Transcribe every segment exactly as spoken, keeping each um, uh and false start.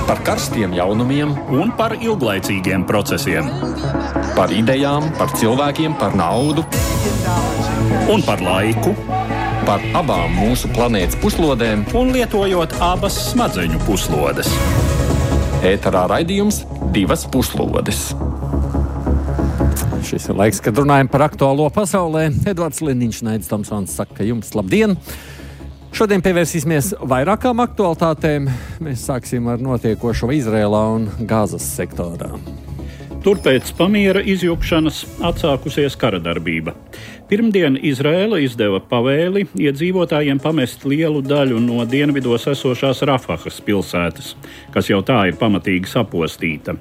Par karstiem jaunumiem un par ilglaicīgiem procesiem. Par idejām, par cilvēkiem, par naudu un par laiku. Par abām mūsu planētas puslodēm un lietojot abas smadzeņu puslodes. Ēterā raidījums Divas puslodes. Šis ir laiks, kad runājam par aktuālo pasaulē. Edvards Lindiņš, Naidis Tomsons saka jums labdien! Šodien pievērsīsimies vairākām aktualitātēm. Mēs sāksim ar notiekošo Izrēlā un Gazas sektorā. Tur pēc pamiera izjukšanas atsākusies kara darbība. Pirmdien Izraēla izdeva pavēli iedzīvotājiem pamest lielu daļu no dienvidos esošās Rafahas pilsētas, kas jau tā ir pamatīgi sapostīta.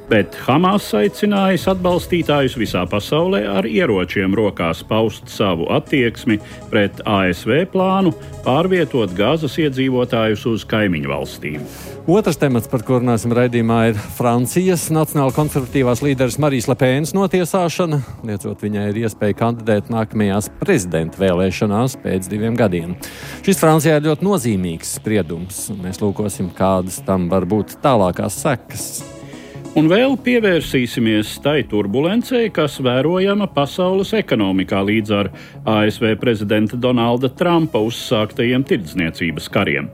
Bet Hamas aicinājis atbalstītājus visā pasaulē ar ieročiem rokās paust savu attieksmi pret A S V plānu pārvietot Gazas iedzīvotājus uz kaimiņu valstīm. Otrs temats, par ko runāsim raidījumā, ir Francijas nacionāla konservatīvās līderes Marijas Le Penas notiesāšana, liecot viņai ir iespēja kandidēt nākamajās prezidenta vēlēšanās pēc diviem gadiem. Šis Francijā ir ļoti nozīmīgs spriedums, un mēs lūkosim, kādas tam var būt tālākās sekas. Un vēl pievērsīsimies tai turbulencei, kas vērojama pasaules ekonomikā līdz ar A S V prezidenta Donalda Trumpa uzsāktajiem tirdzniecības kariem.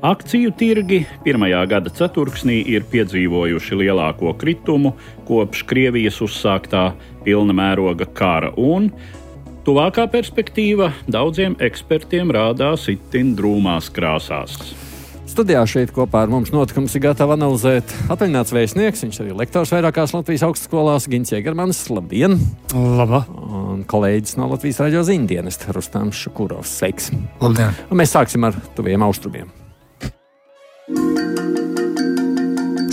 Akciju tirgi pirmajā gada ceturksnī ir piedzīvojuši lielāko kritumu kopš Krievijas uzsāktā pilna mēroga kara, un tuvākā perspektīva daudziem ekspertiem rādās itin drūmās krāsās. Studijā šeit kopā ar mums notikums ir gatava analizēt atvaļināts vēstnieks, viņš arī lektors vairākās Latvijas augstskolās, Gins Jēgermanis, labdien! Laba! Un kolēģis no Latvijas raidījuma ziņdienesta Rustams Šukurovs, sveiks! Labdien! Un mēs sāksim ar tuviem austrumiem.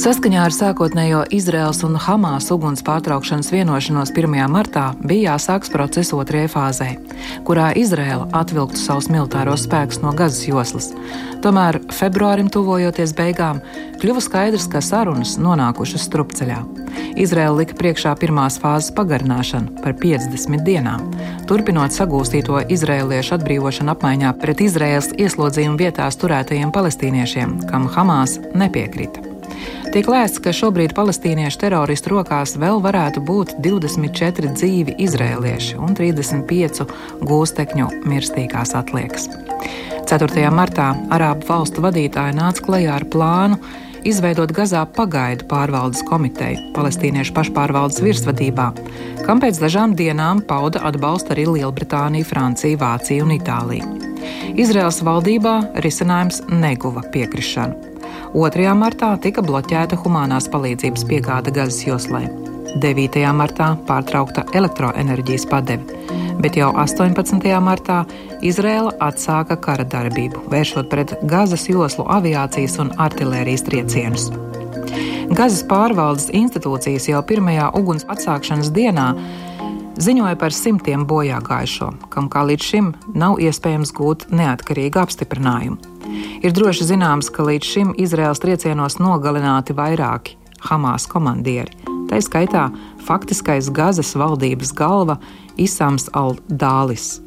Saskaņā ar sākotnējo Izraēlas un Hamas uguns pārtraukšanas vienošanos pirmajā martā bija jāsāks process otrajai fāzē, kurā Izraēla atvilktu savus militāros spēkus no Gazas joslas. Tomēr februārim tuvojoties beigām, kļuva skaidrs, ka sarunas nonākušas strupceļā. Izraēla lika priekšā pirmās fāzes pagarināšanu par piecdesmit dienām, turpinot sagūstīto izraēliešu atbrīvošanu apmaiņā pret Izraēlas ieslodzījumu vietās turētajiem palestīniešiem, kam Hamas nepiekrita. Tiek lēsts, ka šobrīd palestīniešu teroristu rokās vēl varētu būt divdesmit četri dzīvi izraēlieši un trīsdesmit pieci gūstekņu mirstīgās atliekas. ceturtajā martā Arābu valstu vadītāji nāca klajā ar plānu izveidot Gazā pagaidu pārvaldes komiteju palestīniešu pašpārvaldes virsvadībā, kam pēc dažām dienām pauda atbalstu arī Lielbritānija, Francija, Vācija un Itālija. Izraēlas valdībā risinājums neguva piekrišanu. otrajā martā tika bloķēta humanās palīdzības piegāde Gazas joslai. devītajā martā pārtraukta elektroenerģijas padeve, bet jau astoņpadsmitajā martā Izraēla atsāka kara darbību, vēršot pret Gazas joslu aviācijas un artilērijas triecienus. Gazas pārvaldes institūcijas jau pirmajā uguns atsākšanas dienā ziņoja par simtiem bojāgājušo, kam kā līdz šim nav iespējams gūt neatkarīgu apstiprinājumu. Ir droši zināms, ka līdz šim Izraēlas triecienos nogalināti vairāki Hamas komandieri, tai skaitā faktiskais Gazas valdības galva Isams al-Dālis.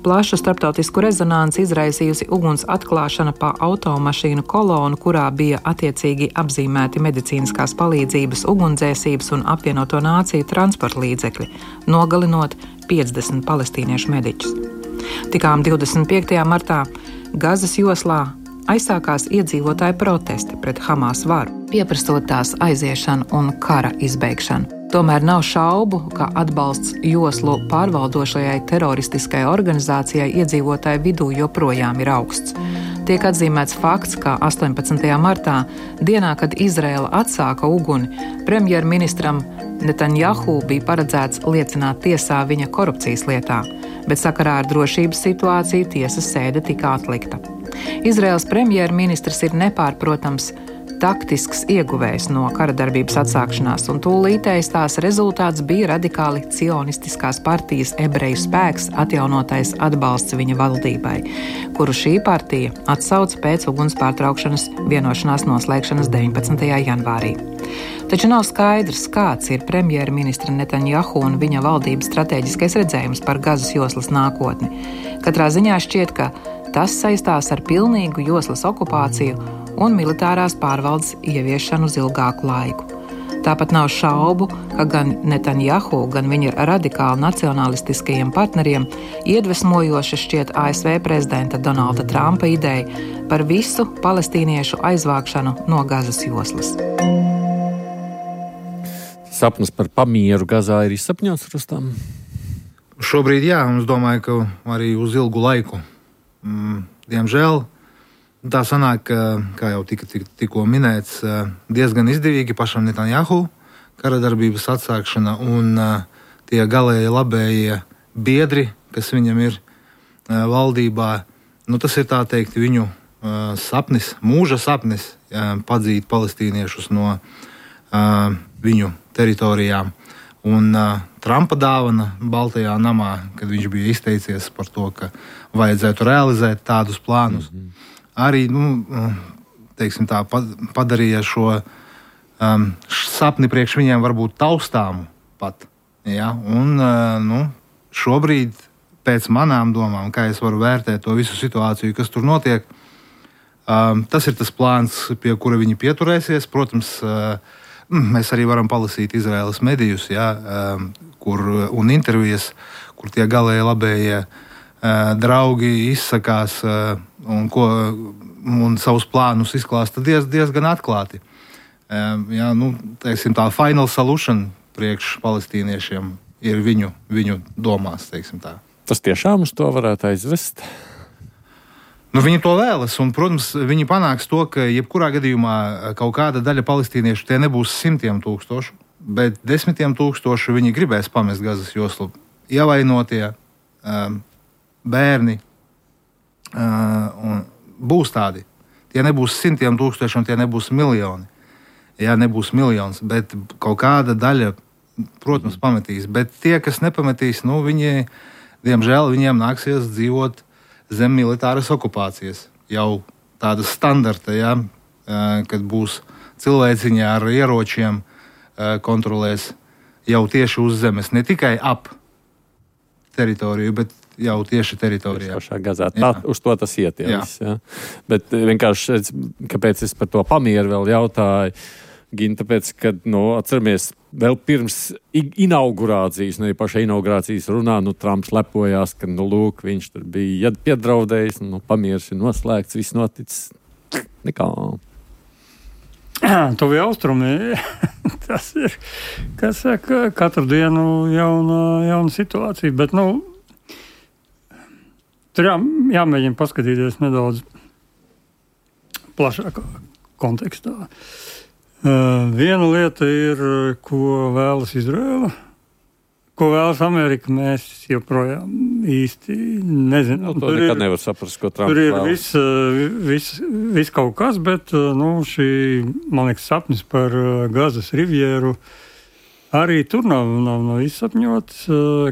Plašu starptautisku rezonanci izraisījusi uguns atklāšana pa automašīnu kolonu, kurā bija attiecīgi apzīmēti medicīniskās palīdzības, ugunsdzēsības un apvienoto nāciju transporta līdzekļi, nogalinot piecdesmit palestīniešu mediķus. Tikām divdesmit piektajā martā Gazas joslā aizsākās iedzīvotāju protesti pret Hamas varu, pieprasot tās aiziešanu un kara izbeigšanu. Tomēr nav šaubu, ka atbalsts joslu pārvaldošajai teroristiskajai organizācijai iedzīvotāju vidū joprojām ir augsts. Tiek atzīmēts fakts, ka astoņpadsmitajā martā, dienā, kad Izraēla atsāka uguni, premjerministram Netanjahu bija paredzēts liecināt tiesā viņa korupcijas lietā, bet sakarā ar drošības situāciju tiesas sēde tika atlikta. Izraēlas premjerministrs ir nepārprotams taktisks ieguvējs no kara darbības atsākšanās, un tūlītējs tās rezultāts bija radikāli cionistiskās partijas ebreju spēks atjaunotais atbalsts viņa valdībai, kuru šī partija atsauca pēc uguns pārtraukšanas vienošanās noslēgšanas deviņpadsmitajā janvārī. Taču nav skaidrs, kāds ir premjerministra Netanjahu un viņa valdības stratēģiskais redzējums par Gazas joslas nākotni. Katrā ziņā šķiet, ka tas saistās ar pilnīgu joslas okupāciju un militārās pārvaldes ieviešanu uz ilgāku laiku. Tāpat nav šaubu, ka gan Netanjahu, gan viņa radikāli nacionalistiskajiem partneriem iedvesmojoši šķiet A S V prezidenta Donalda Trumpa ideja par visu palestīniešu aizvākšanu no Gazas joslas. Sapnis par pamieru Gazā ir izsapņots, Rustam? Šobrīd jā, un es domāju, ka arī uz ilgu laiku. Mm, diemžēl tā sanāk, kā jau tika tik, tikko minēts, diezgan izdevīgi pašam Netanjahu kara darbības atsākšana un tie galēji labējie biedri, kas viņam ir valdībā. Nu, tas ir tā teikt viņu sapnis, mūža sapnis padzīt palestīniešus no viņu teritorijām. Un Trumpa dāvana Baltajā namā, kad viņš bija izteicies par to, ka vajadzētu realizēt tādus plānus. Mm-hmm. Arī nu, teiksim tā, padarīja šo um, sapni priekš viņiem varbūt taustāmu pat. Ja? Un uh, nu, šobrīd, pēc manām domām, kā es varu vērtēt to visu situāciju, kas tur notiek, um, tas ir tas plāns, pie kura viņi pieturēsies. Protams, uh, mēs arī varam palasīt Izraēlas medijus, ja, um, kur, un intervijas, kur tie galēji labējie uh, draugi izsakās uh, un, ko, un savus plānus izklāsta diez, diezgan atklāti. Um, jā, nu, teiksim, tā final solution priekš palestīniešiem ir viņu, viņu domās. Tā. Tas tiešām uz to varētu aizvest? Nu, viņi to vēlas, un, protams, viņi panāks to, ka jebkurā gadījumā kaut kāda daļa palestīniešu tie nebūs simtiem tūkstošu, bet desmitiem tūkstošu viņi gribēs pamest Gazas joslu. Ievainotie, um, bērni, Uh, un būs tādi. Tie nebūs simtiem tūkstoši un tie nebūs miljoni. Jā, nebūs miljons, bet kaut kāda daļa, protams, pametīs. Bet tie, kas nepametīs, nu, viņi, diemžēl, viņiem nāksies dzīvot zem militāras okupācijas. Jau tādas standarta, jā, uh, kad būs cilvēciņi ar ieročiem uh, kontrolēs jau tieši uz zemes. Ne tikai ap teritoriju, bet jau tieši teritorijā. Pašā Gazā. Tā, uz to tas iet. Jā. Jā. Bet vienkārši, kāpēc es par to pamieru vēl jautāju, Gin, tāpēc, ka, nu, atceramies, vēl pirms inaugurācijas, ne paša inaugurācijas runā, nu, Trumps lepojās, ka, nu, lūk, viņš tur bija piedraudējis, nu, pamieris ir noslēgts, viss noticis. Nekā. Tuvi austrumi, tas ir, kas saka, katru dienu jauna, jauna situācija, bet, nu, tur jā, jāmēģina paskatīties nedaudz plašākā kontekstā. Uh, viena lieta ir, ko vēlas Izraela, ko vēlas Amerika, mēs joprojām īsti nezinām. Nu, to nekad nevar saprast, ko Trumps vēlas. Tur ir vēlas. viss vis, vis kaut kas, bet nu, šī, man liekas, sapnis par Gazas rivieru arī tur nav, nav, nav izsapņots.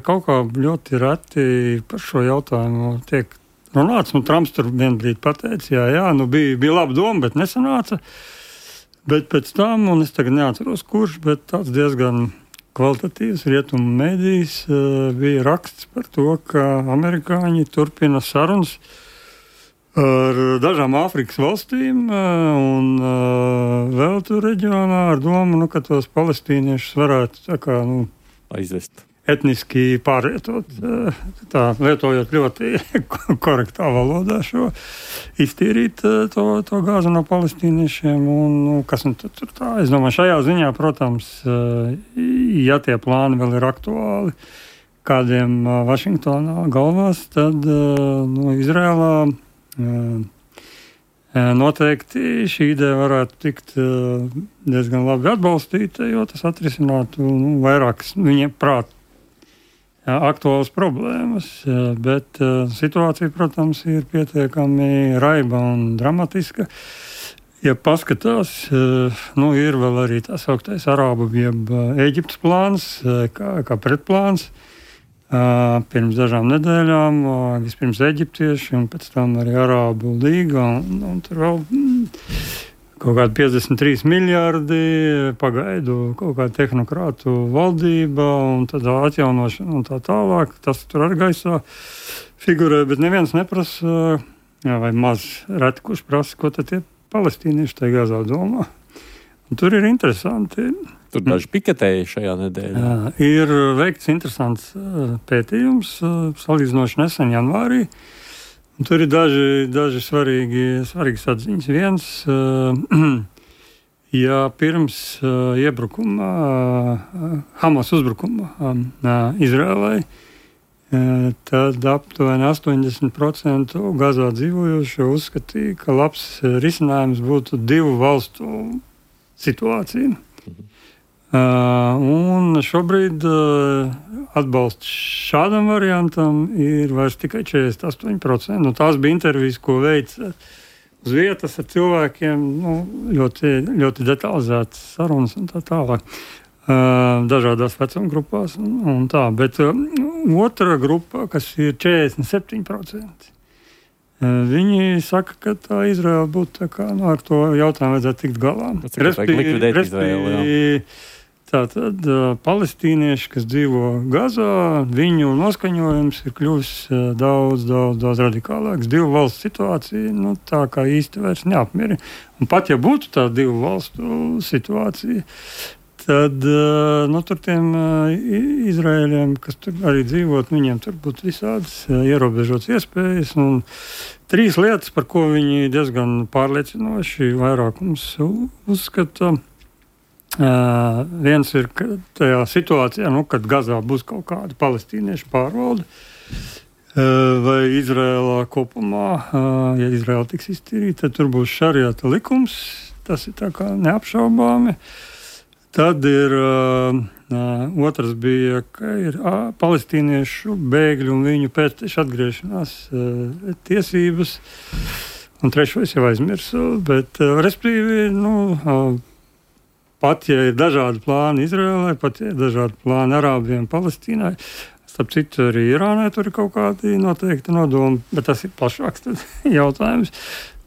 Kaut kā ļoti reti par šo jautājumu tiek runāts. Nu, Trumps tur vienbrīd pateica, jā, jā, nu bija, bija laba doma, bet nesanāca. Bet pēc tam, un es tagad neatceros kurš, bet tāds diezgan kvalitatīvs rietumu mēdījis bija raksts par to, ka amerikāņi turpina sarunas ar dažām Āfrikas valstīm un vēl tur reģionā ar domu, nu, ka tos palestīniešus varētu tā kā, nu, aizvest. Etniski pārvietot, tā, lietojot ļoti korektā valodā šo, iztīrīt to, to gāzu no palestīniešiem. Un, nu, kas nu tur tā? Es domāju, šajā ziņā, protams, ja tie plāni vēl ir aktuāli kādiem Vašingtonā galvās, tad nu, Izrēlā noteikti šī ideja varētu tikt diezgan labi atbalstīta, jo tas atrisinātu nu, vairākas viņiem prāt aktuālas problēmas, bet situācija, protams, ir pietiekami raiba un dramatiska. Ja paskatās, nu, ir vēl arī tā sauktais Arābu jeb Ēģiptes plāns, kā, kā pretplāns. Pirms dažām nedēļām vispirms eģiptieši un pēc tam arī Arābu līga. Un, un tur vēl kaut kādi piecdesmit trīs miljārdi pagaidu kaut kāda tehnokrātu valdība un tad atjaunošana un tā tālāk. Tas tur arī gaisā figurē, bet neviens neprasa, jā, vai maz reti, kurš prasa, ko tad tie palestīnieši tajā Gazā domā. Un tur ir interesanti. Tur daži piketēji šajā nedēļā. Jā, ir veikts interesants pētījums, salīdzinoši nesen janvārī. Un tur ir daži, daži svarīgi, svarīgas atziņas. Viens, ja pirms iebrukuma, Hamas uzbrukuma Izrēlai, tad aptuveni astoņdesmit procenti Gazā dzīvojošo uzskatīja, ka labs risinājums būtu divu valstu situācija. Mhm. Uh, un šobrīd uh, atbalsts šādam variantam ir vairs tikai četrdesmit astoņi procenti. Nu, tās bija intervijas, ko veica uz vietas ar cilvēkiem, nu, ļoti, ļoti detalizētas sarunas un tā tālāk. Uh, dažādās vecuma grupās un, un tā. Bet uh, otra grupa, kas ir četrdesmit septiņi procenti, uh, viņi saka, ka tā Izraela būtu tā kā, nu, ar to jautājumu vajadzētu tikt galā. Respektīvi, tātad uh, palestīnieši, kas dzīvo Gazā, viņu noskaņojums ir kļuvis uh, daudz, daudz, daudz radikālāks. Divu valstu situācija, nu, tā kā īsti vairs neapmierina. Un pat ja būtu tā divu valstu situācija, tad uh, nu, tur tiem uh, Izraēļiem, kas tur arī dzīvot, viņiem tur būtu visādas uh, ierobežotas iespējas. Un trīs lietas, par ko viņi diezgan pārliecinoši vairākums uzskata. Uh, viens ir, ka tajā situācijā, nu, kad Gazā būs kaut kāda palestīniešu pārvalde, uh, vai Izrēlā kopumā, uh, ja Izrēla tiks iztīrīta, tad tur būs šariata likums, tas ir tā kā neapšaubāmi. Tad ir uh, uh, otrs bija, ka ir uh, palestīniešu bēgļu un viņu pēctešu atgriešanās uh, tiesības, un trešo es jau aizmirsu, bet uh, respektīvi, nu, uh, pat, ja ir dažādi plāni Izrēlai, pat, ja ir dažādi plāni Arābiem, Palestīnai, starp citu arī Irānai tur ir kaut kādi noteikti nodomi, bet tas ir plašāks jautājums,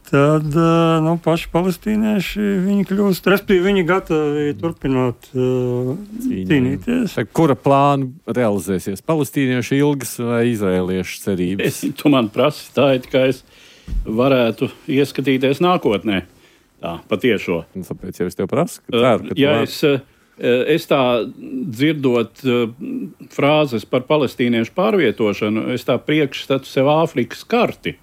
tad, nu, paši palestīnieši, viņi kļūst, respektīvi, viņi gatavi turpinot uh, cīnīties. Kura plāna realizēsies? Palestīniešu ilgas vai izrēliešu cerības? Es, tu man prasi tā, it kā es varētu ieskatīties nākotnē. Tā, patiešo. Tāpēc jau es tev prasu, ka ceru, ka ja es, es tā dzirdot frāzes par palestīniešu pārvietošanu, es tā priekšstatu sev Āfrikas karti,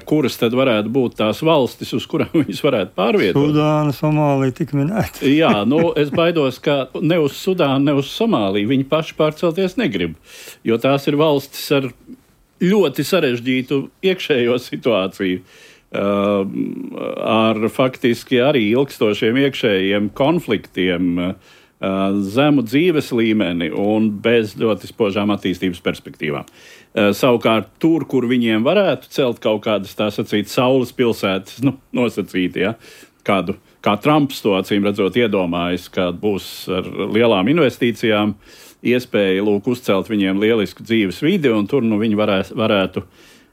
kuras tad varētu būt tās valstis, uz kurām viņas varētu pārvietot. Sudāna, Somālija tik minēta. Jā, nu, es baidos, ka ne uz Sudānu, ne uz Somāliju viņi paši pārcelties negrib, jo tās ir valstis ar ļoti sarežģītu iekšējo situāciju. Uh, ar faktiski arī ilgstošiem iekšējiem konfliktiem, uh, zemu dzīves līmeni un bez ļoti spožām attīstības perspektīvām. Uh, savukārt tur, kur viņiem varētu celt kaut kādas, tā sacīt, saules pilsētas, nu, nosacīt, ja, kādu, kā Trumps to acīm redzot iedomājas, ka būs ar lielām investīcijām iespēja, lūk, uzcelt viņiem lielisku dzīves vidi, un tur, nu, viņi varēs, varētu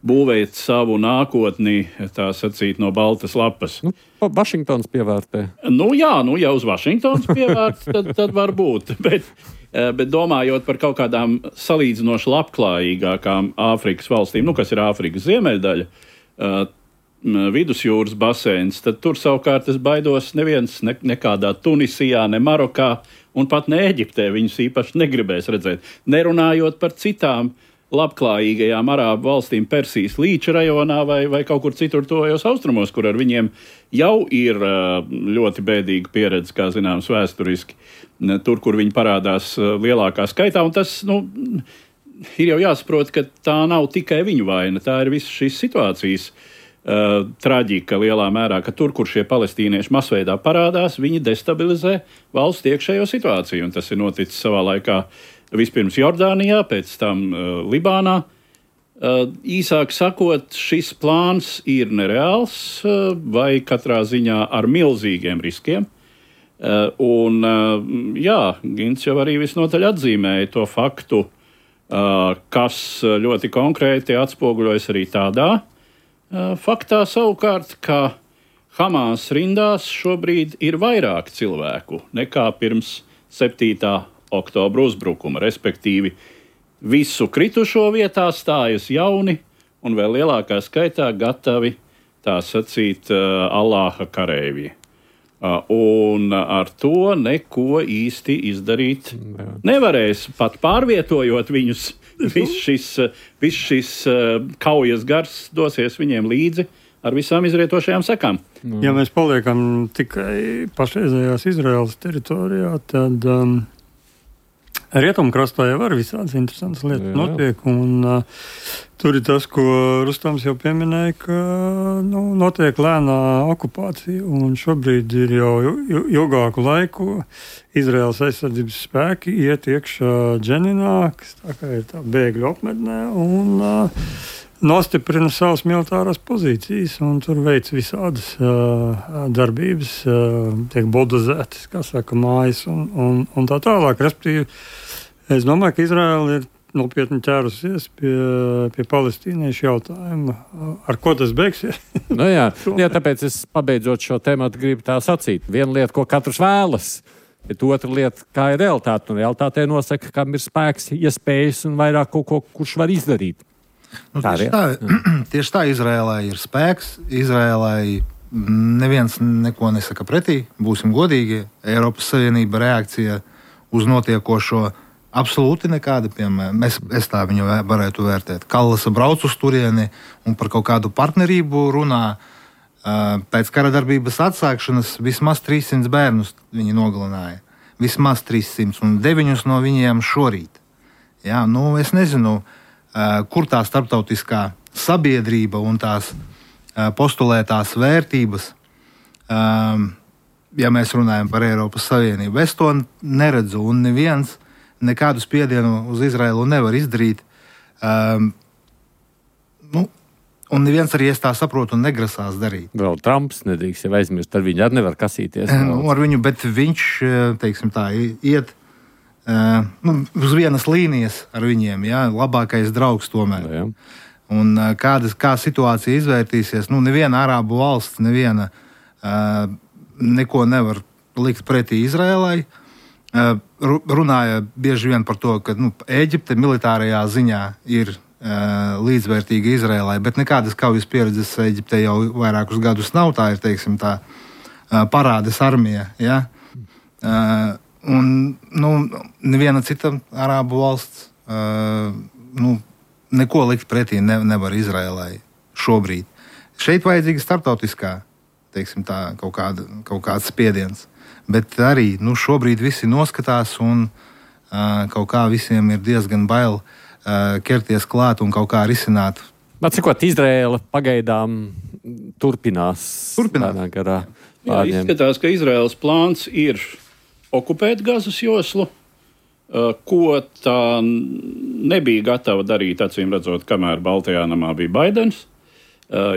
būvēt savu nākotni, tā sacīt, no baltas lapas. Nu, Vašingtons pievērtē. Nu jā, nu ja uz Vašingtons pievērt, tad, tad var būt. Bet, bet domājot par kaut kādām salīdzinoši labklājīgākām Āfrikas valstīm, nu kas ir Āfrikas ziemeļdaļa, vidusjūras basēns, tad tur savukārt es baidos neviens ne, nekādā Tunisijā, ne Marokā un pat ne Eģiptē viņus īpaši negribēs redzēt. Nerunājot par citām labklājīgajām arābu valstīm Persijas līča rajonā vai, vai kaut kur citur tojos austrumos, kur ar viņiem jau ir ļoti bēdīga pieredze, kā zināms, vēsturiski, tur, kur viņi parādās lielākā skaitā. Un tas, nu, ir jau jāsaprot, ka tā nav tikai viņu vaina, tā ir visas šīs situācijas uh, traģika lielā mērā, ka tur, kur šie palestīnieši masveidā parādās, viņi destabilizē valsts iekšējo situāciju, un tas ir noticis savā laikā vispirms Jordānijā, pēc tam uh, Libānā. Uh, īsāk sakot, šis plāns ir nereāls uh, vai katrā ziņā ar milzīgiem riskiem. Uh, un, uh, jā, Gins jau arī visnotaļ atzīmēja to faktu, uh, kas ļoti konkrēti atspoguļojas arī tādā uh, faktā savukārt, ka Hamas rindās šobrīd ir vairāk cilvēku nekā pirms septītā oktobra uzbrukuma, respektīvi visu kritušo vietā stājas jauni un vēl lielākā skaitā gatavi tā sacīt, Allāha kareivji. Un ar to neko īsti izdarīt nevarēs, pat pārvietojot viņus. Viss šis, vis šis kaujas gars dosies viņiem līdzi ar visām izrietošajām sekām. Ja mēs paliekam tikai pašreizējās Izraēlas teritorijā, tad um, Rietumkrastā jau var visādas interesantas lietas jā, jā. notiek, un uh, tur ir tas, ko Rustams jau pieminēja, ka nu, notiek lēnā okupācija, un šobrīd ir jau ilgāku laiku Izraēlas aizsardzības spēki iet iekšā Dženinā, kas tā kā ir tā bēgļu apmetnē, un uh, nostiprina savas militārās pozīcijas, un tur veic visādas uh, darbības, uh, tiek buldozētas, kā saka, mājas, un, un, un tā tālāk. Respektīvi, es domāju, ka Izraēla ir nopietni ķērusies pie, pie palestīniešu jautājuma. Ar ko tas beigsies? Nu jā, jā, tāpēc es pabeidzot šo tēmatu gribu tā sacīt. Viena lieta, ko katrs vēlas, bet otra lieta, kā ir realitāte. Un realitātē nosaka, kam ir spēks, iespējas un vairāk kaut ko, kurš var izdarīt. Nu, tieši, tā, tieši tā Izrēlai ir spēks. Izrēlai neviens neko nesaka pretī. Būsim godīgi. Eiropas Savienība reakcija uz notiekošo absolūti nekāda. Piemēram, es, es tā viņu varētu vērtēt. Kallasa brauc uz turieni un par kaut kādu partnerību runā. Pēc kara darbības atsākšanas vismaz trīssimts bērnus viņi nogalināja. Vismaz trīssimts un deviņus no viņiem šorīt. Jā, nu, es nezinu, kur tā starptautiskā sabiedrība un tās postulētās vērtības, ja mēs runājam par Eiropas Savienību. Es to neredzu, un neviens nekādu spiedienu uz Izraēlu nevar izdarīt. Nu, un neviens arī, es tā saprotu, negrasās darīt. Vēl Trumps nedrīkst jau aizmirst, ar viņu arī nevar kasīties. Nu, ar viņu, bet viņš, teiksim tā, iet Uh, nu, uz vienas līnijas ar viņiem, jā, labākais draugs tomēr. Jā. Un uh, kādas, kā situācija izvērtīsies, nu, neviena arābu valsts, neviena uh, neko nevar likt pretī Izrēlai. Uh, runāja bieži vien par to, ka nu, Ēģipte militārajā ziņā ir uh, līdzvērtīga Izrēlai, bet nekādas kaujas pieredzes Ēģipte jau vairākus gadus nav, tā ir, teiksim, tā uh, parādes armija, jā. Uh, Un nu, neviena cita arābu valsts uh, nu, neko likt pretī ne, nevar Izrēlai šobrīd. Šeit vajadzīga starptautiskā, teiksim tā, kaut, kāda, kaut kāds spiediens. Bet arī nu, šobrīd visi noskatās un uh, kaut kā visiem ir diezgan bail uh, ķerties klāt un kaut kā risināt. Atcikot, Izrēla pagaidām turpinās. Turpinās. Garā Jā, izskatās, ka Izraēlas plāns ir okupēt Gazas joslu, ko tā nebija gatava darīt, acīm redzot, kamēr Baltajā namā bija Baidens,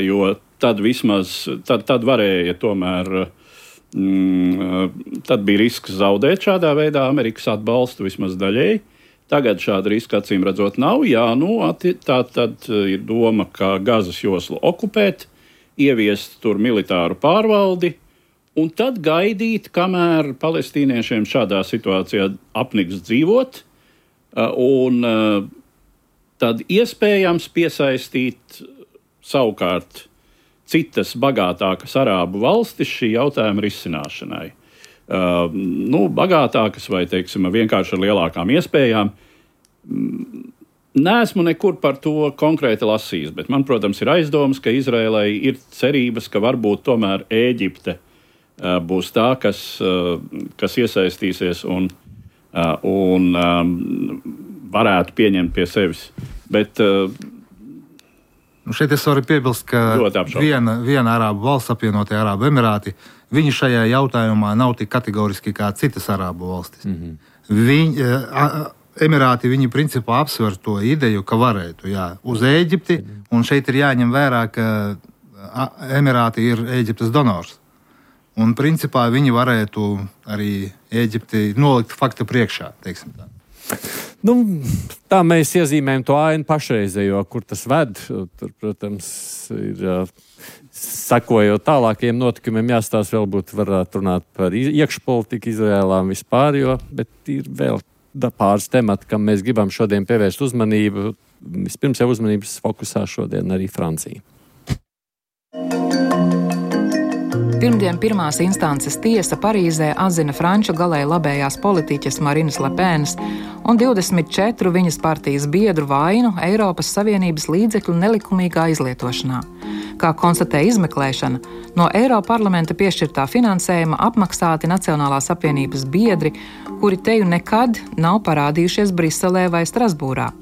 jo tad vismaz, tad, tad varēja tomēr, mm, tad bija risks zaudēt šādā veidā Amerikas atbalstu vismaz daļēji. Tagad šāda riska, acīm redzot, nav. Jā, nu, tā tad ir doma, ka Gazas joslu okupēt, ieviest tur militāru pārvaldi, un tad gaidīt, kamēr palestīniešiem šādā situācijā apniks dzīvot, un tad iespējams piesaistīt savukārt citas bagātākas arābu valstis šī jautājuma risināšanai. Uh, nu, bagātākas vai, teiksim, vienkārši ar lielākām iespējām. Neesmu nekur par to konkrēti lasījis, bet man, protams, ir aizdomas, ka Izrēlai ir cerības, ka varbūt tomēr Ēģipte būs tā, kas, kas iesaistīsies un, un varētu pieņemt pie sevis. Bet, nu šeit es varu piebilst, ka viena, viena arābu valsts, apvienotie Arābu Emirāti, viņi šajā jautājumā nav tik kategoriski kā citas arābu valstis. Mm-hmm. Viņi, Emirāti, viņi principā apsver to ideju, ka varētu, jā, uz Ēģipti, un šeit ir jāņem vērā, ka Emirāti ir Ēģiptes donors. Un, principā, viņi varētu arī Ēģipti nolikt faktu priekšā, teiksim tā. Nu, tā mēs iezīmējam to ainu pašreizējo, kur tas ved. Tur, protams, ir sakojot tālākajiem notikumiem, jāstāsta vēl būtu varētu runāt par iekšpolitiku Izrēlā un vispār, jo, bet ir vēl pāris temati, kam mēs gribam šodien pievērst uzmanību. Vispirms jau uzmanības fokusā šodien arī Francija. Pirmdien pirmās instances tiesa Parīzē atzina franču galēji labējās politiķes Marinas Lepēnas un divdesmit četru viņas partijas biedru vainu Eiropas Savienības līdzekļu nelikumīgā izlietošanā. Kā konstatē izmeklēšana, no Eiroparlamenta piešķirtā finansējuma apmaksāti Nacionālās apvienības biedri, kuri teju nekad nav parādījušies Briselē vai Strasbūrā.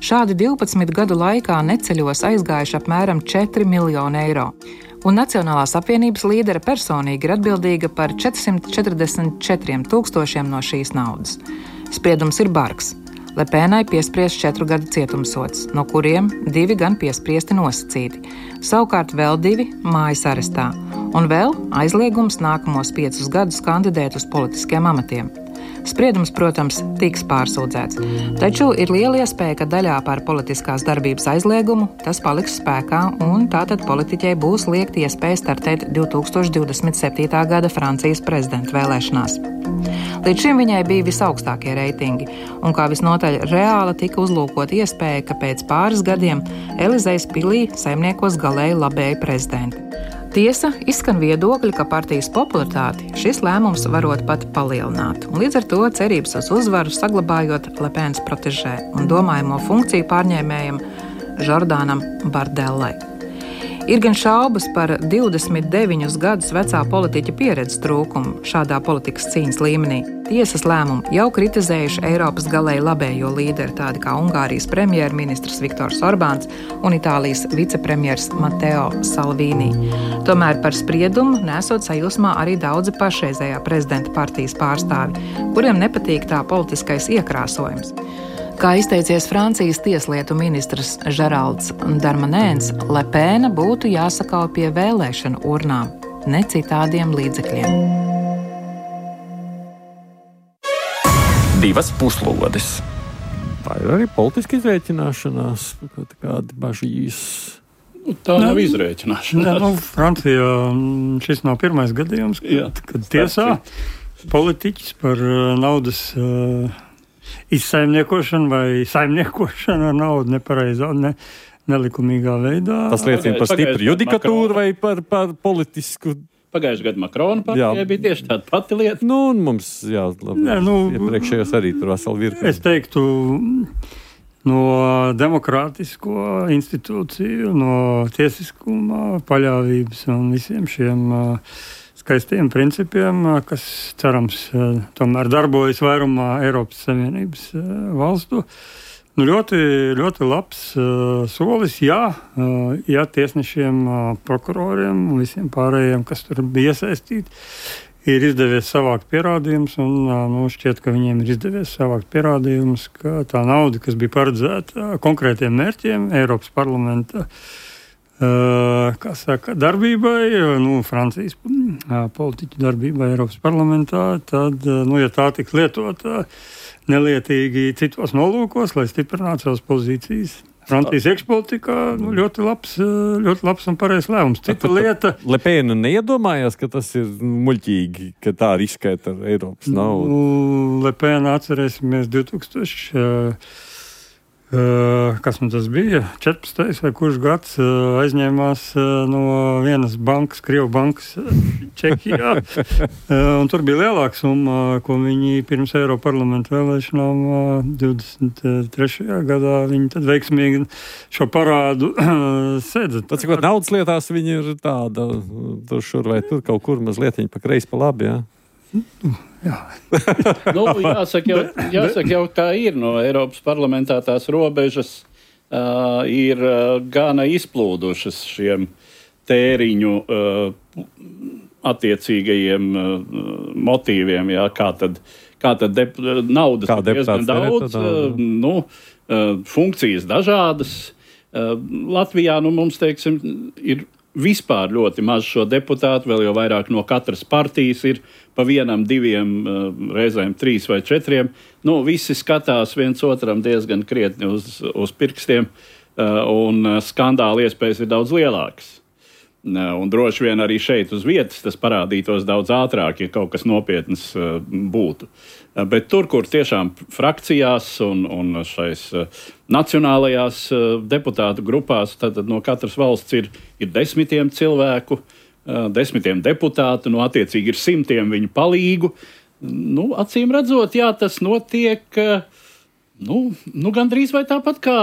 Šādi divpadsmit gadu laikā neceļos aizgājuši apmēram četri miljoni eiro. Un Nacionālās apvienības līdere personīgi ir atbildīga par četrsimt četrdesmit četriem tūkstošiem no šīs naudas. Spriedums ir bargs. Lepēnai piespriests četru gadu cietumsods, no kuriem divi gan piespriesti nosacīti. Savukārt vēl divi mājas arestā. Un vēl aizliegums nākamos piecus gadus kandidēt uz politiskiem amatiem. Spriedums, protams, tiks pārsūdzēts, taču ir liela iespēja, ka daļā par politiskās darbības aizliegumu tas paliks spēkā, un tātad politiķei būs liekta iespēja startēt divtūkstoš divdesmit septītā gada Francijas prezidenta vēlēšanās. Līdz šim viņai bija visaugstākie reitingi, un kā visnotaļ reāli tika uzlūkota iespēja, ka pēc pāris gadiem Elizejas pilī saimniekos galēji labēji prezidenti. Tiesa, izskan viedokļi, ka partijas popularitāti šis lēmums varot pat palielināt, un līdz ar to cerības uz uzvaru saglabājot Lepēnas protežē un domājamo funkciju pārņēmējam Žordānam Bardellai. Ir gan šaubas par divdesmit deviņus gadus vecā politiķa pieredzes trūkumu šādā politikas cīņas līmenī. Tiesas lēmumu jau kritizējuši Eiropas galēji labējo līderi, tādi kā Ungārijas premjerministrs Viktors Orbāns un Itālijas vicepremjers Matteo Salvini. Tomēr par spriedumu nesot sajūsmā arī daudzi pašreizējā prezidenta partijas pārstāvi, kuriem nepatīk tā politiskais iekrāsojums. Kā izteicies Francijas tieslietu ministrs Žeralds Darmanēns, Lepēna būtu jāsakauj pie vēlēšanu urnām, ne citādiem līdzekļiem. Divas puslodes. Tā ir arī politiska izrēķināšanās, kādi bažīs. Nu, tā nav izrēķināšanās. Ne, nu, Francijā šis nav pirmais gadījums, kad, Jā, kad tiesā politiķis par naudas uh, izsaimniekošanu vai saimniekošanu ar naudu nepareizā, ne, nelikumīgā veidā. Tas liecina par stipru judikatūru vai par, par politisku. Pagājušajā gadā Makrona partijai bija tieši tāda pati lieta. Nu, un mums, jā, labi, Nē, nu, iepriekšējos arī tur veseli virkni. Es teiktu, no demokrātisko institūciju, no tiesiskuma, paļāvības un visiem šiem uh, skaistiem principiem, uh, kas cerams uh, tomēr darbojas vairumā Eiropas Savienības uh, valstu. Nu, ļoti, ļoti labs uh, solis, jā, uh, jā tiesnešiem, uh, prokuroriem un visiem pārējiem, kas tur bija iesaistīti, ir izdevies savākt pierādījumus, un uh, nu, šķiet, ka viņiem ir izdevies savākt pierādījumus, ka tā nauda, kas bija paredzēta konkrētiem mērķiem Eiropas parlamenta uh, kā saka, darbībai, nu, Francijas uh, politiķu darbībai Eiropas parlamentā, tad, uh, nu, ja tā tiks lietota nelietīgi citos nolūkos, lai stiprinātu savas pozīcijas. Francijas iekšpolitikā nu, ļoti labs, ļoti labs un pareizs lēmums. Cita lieta. Lepēna neiedomājās, ka tas ir muļķīgi, ka tā riskēt ar Eiropas naudu. Nu, Lepēna atcerēsimies divtūkstoši. Uh, kas man tas bija? četrpadsmitais vai kurš gads uh, aizņēmās uh, no vienas bankas, Krievu bankas uh, Čehijā. uh, un tur bija lielāka summa, ko viņi pirms Eiroparlamenta vēlēšanām uh, divdesmit trešajā gadā viņi tad veiksmīgi šo parādu uh, sēdza. Tas, ko naudas lietās viņi ir tāda, tur šur vai tur kaut kur mazliet pa kreisi pa labi, jā? Jā. nu, jāsaka, jau, jāsaka jau, kā ir no Eiropas parlamentā tās robežas uh, ir uh, gana izplūdušas šiem tēriņu uh, attiecīgajiem uh, motīviem, jā, kā tad, kā tad dep, naudas kā ir diezgan daudz, uh, nu, uh, funkcijas dažādas. Uh, Latvijā, nu, mums, teiksim, ir vispār ļoti maz šo deputātu, vēl jau vairāk no katras partijas ir pa vienam, diviem, reizēm trīs vai četriem. Nu, visi skatās viens otram diezgan krietni uz, uz pirkstiem, un skandāla iespējas ir daudz lielākas. Un droši vien arī šeit uz vietas tas parādītos daudz ātrāk, ja kaut kas nopietns būtu. Bet tur, kur tiešām frakcijās un, un šais nacionālajās deputātu grupās, tad no katras valsts ir, ir desmitiem cilvēku, desmitiem deputātu, no attiecīgi ir simtiem viņu palīgu. Nu, acīm redzot, jā, tas notiek nu, nu, gandrīz vai tāpat kā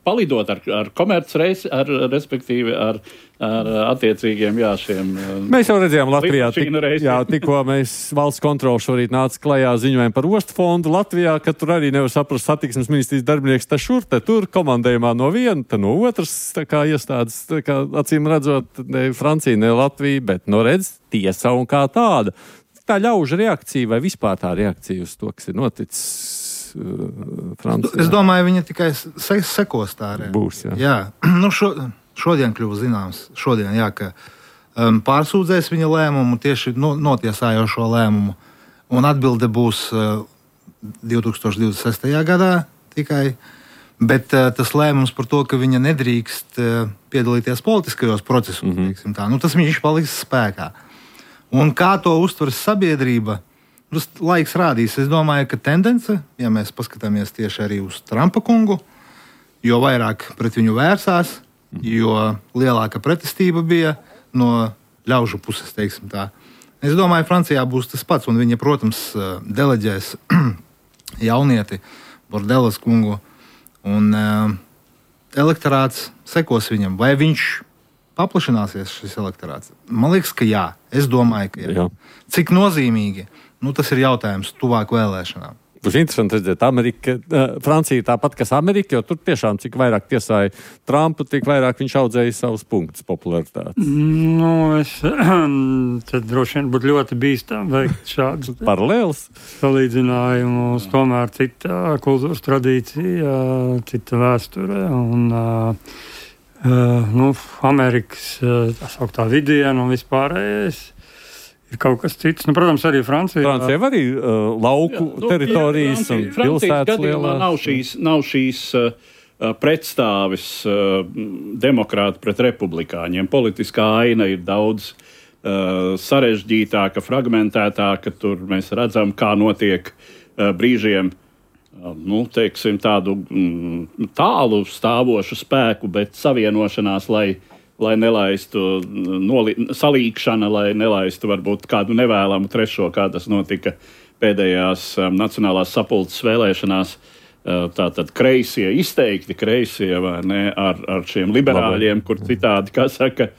palidot ar, ar komercreisi, ar, respektīvi ar, ar attiecīgiem, jā, šiem. Mēs jau redzējām Latvijā, tik, jā, tikko mēs valsts kontroli šorīt nāca klajā ziņojumu par ostu fondu Latvijā, ka tur arī nevar saprast satiksmes ministrijas darbinieks, te šur, te tur, komandējumā no viena, te no otras, tā kā iestādes, tā kā acīm redzot, ne Francija, ne Latvija, bet, no redz, tiesa un kā tāda. Tā ļauža reakcija vai vispār tā reakcija uz to, kas ir noticis uh, Francijā? Es domāju, viņa tikai se sekos tā reakcija. Būs, jā. Jā, nu šo, šodien kļuva zināms, šodien, jā, ka um, pārsūdzēs viņa lēmumu, tieši no, notiesājošo lēmumu, un atbilde būs uh, divi tūkstoši divdesmit sestajā gadā tikai, bet uh, tas lēmums par to, ka viņa nedrīkst uh, piedalīties politiskajos procesos, mm-hmm. teiksim tā, nu tas viņš paliks spēkā. Un kā to uztveras sabiedrība, tas laiks rādīs. Es domāju, ka tendence, ja mēs paskatāmies tieši arī uz Trumpa kungu, jo vairāk pret viņu vērsās, jo lielāka pretestība bija no ļaužu puses, teiksim tā. Es domāju, Francijā būs tas pats, un viņa, protams, deleģēs jaunieti, Bordelas kungu, un uh, elektorāts sekos viņam. Vai viņš paplašināsies šis elektorāts? Man liekas, ka jā. Es domāju, ka jā. jā. Cik nozīmīgi? Nu, tas ir jautājums tuvāk vēlēšanām. Būs interesanti redzēt, Amerika, uh, Francija tāpat, kas Amerika, jo tur tiešām cik vairāk tiesāja Trumpu, tik vairāk viņš audzēja savus punktus popularitātes. Nu, es tad droši vien būtu ļoti bīstami veikt šādus paralēlus salīdzinājumus. Tomēr cita kultūras tradīcija, cita vēsture un uh, Uh, nu, Amerikas uh, tā sauktā vidiena un vispārējais ir kaut kas cits. Nu, protams, arī Francija. Francija arī uh, lauku jā, nu, teritorijas jā, un pilsētas lielās. Nav šīs, nav šīs uh, pretstāvis uh, demokrāti pret republikāņiem. Politiskā aina ir daudz uh, sarežģītāka, fragmentētāka. Tur mēs redzam, kā notiek uh, brīžiem Nu, teiksim, tādu mm, tālu stāvošu spēku, bet savienošanās, lai, lai nelaistu noli, salīkšana, lai nelaistu varbūt kādu nevēlamu trešo, kā tas notika pēdējās um, nacionālās sapulces vēlēšanās. Uh, tātad kreisie, izteikti kreisie, vai ne, ar, ar šiem liberāļiem, kur citādi, kā saka,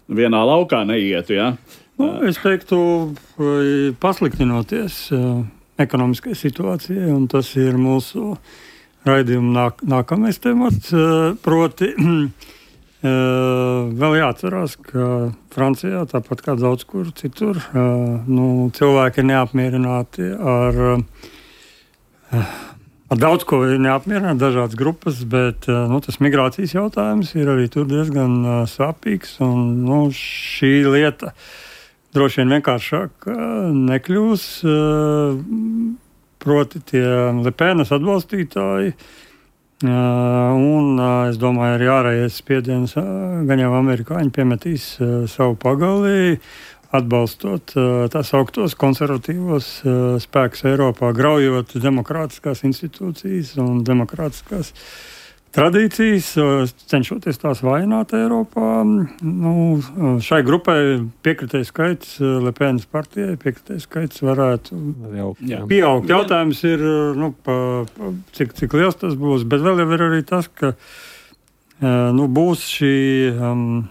vienā laukā neietu, jā. Nu, es teiktu, pasliktinoties uh, ekonomiskai situācijai, un tas ir mūsu raidījuma nāk, nākamais temats. Proti, vēl jāatcerās, ka Francijā, tāpat kā daudz kur citur, nu, cilvēki ir neapmierināti ar, ar daudz ko ir neapmierināti, dažādas grupas, bet nu, tas migrācijas jautājums ir arī tur diezgan sāpīgs, un nu, šī lieta droši vien vienkāršāk nekļūs, proti tie Lepenas atbalstītāji, un es domāju, arī ārējais spiediens, gan jau amerikāņi piemetīs savu pagalī, atbalstot tās augtos konservatīvos spēkus Eiropā, graujot demokrātiskās institūcijas un demokrātiskās tradīcijas, cenšoties tās vājināt Eiropā. Nu, šai grupai piekritēju skaits, Lepenas partijai piekritēju skaits varētu Jā. pieaugt. Jautājums ir, nu, pa, pa, cik, cik liels tas būs, bet vēl jau ir arī tas, ka nu, būs šī, um,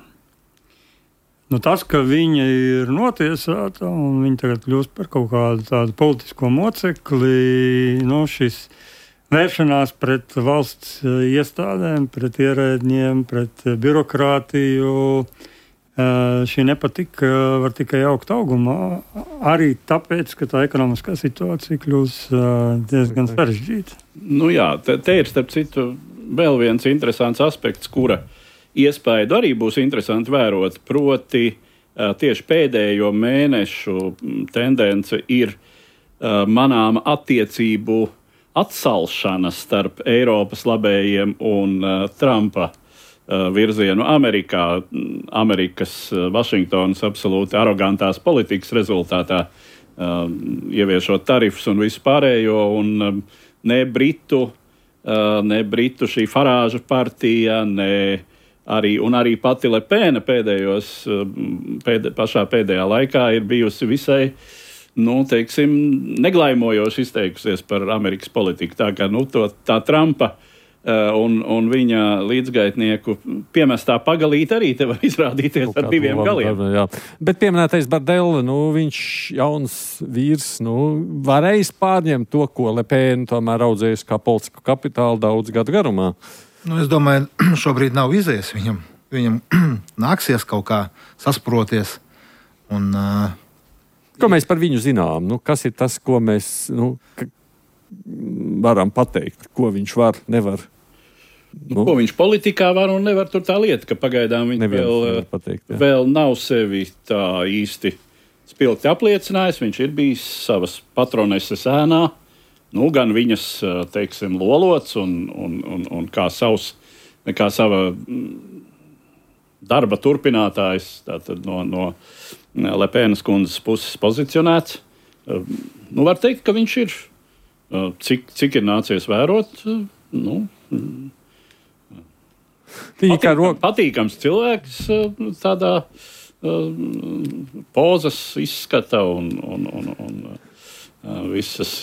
nu, tas, ka viņa ir notiesāta un viņa tagad kļūst par kaut kādu tādu politisko mocekli, nu, šis vēršanās pret valsts iestādēm, pret ierēdņiem, pret birokrātiju. Šī nepatika var tikai augt augumā. Arī tāpēc, ka tā ekonomiskā situācija kļūs diezgan sarežģīta. Nu jā, te, te ir starp citu vēl viens interesants aspekts, kura iespēju arī būs interesanti vērot. Proti tieši pēdējo mēnešu tendence ir manāma attiecību atsalšana starp Eiropas labējiem un uh, Trumpa uh, virzienu Amerikā, Amerikas, uh, Vašingtonas absolūti arogantās politikas rezultātā, uh, ieviešot tarifus un visu pārējo, un um, ne Britu, uh, ne Britu šī Farāža partija, ne arī, un arī pati Lepēna pēdējos, pēd, pašā pēdējā laikā ir bijusi visai, nu, teiksim, neglaimojoši izteikusies par Amerikas politiku. Tā kā, nu, to, tā Trumpa un, un viņa līdzgaitnieku piemestā pagalīte arī te var izrādīties ar diviem galiem. Jā. Bet pieminētais Bardella, nu, viņš jauns vīrs, nu, varējis pārņemt to, ko Lepēna tomēr audzējis kā politisku kapitālu daudz gadu garumā. Nu, es domāju, šobrīd nav izies viņam. Viņam nāksies kaut kā sasproties. Un, uh, ko mēs par viņu zinām? Nu, kas ir tas, ko mēs nu, varam pateikt? Ko viņš var, nevar? Nu, ko viņš politikā var un nevar, tur tā lieta, ka pagaidām viņš vēl, pateikt, vēl nav sevi tā īsti spilgti apliecinājis. Viņš ir bijis savas patroneses ēnā, nu, gan viņas, teiksim, lolots un, un, un, un kā, savs, kā sava darba turpinātājs, tātad no, no Lepēnas kundzes puses pozicionēts. Nu, var teikt, ka viņš ir, cik, cik ir nācies vērot, nu, Patīkam, ro... patīkams cilvēks, tādā uh, pozas izskata un, un, un, un uh, visas,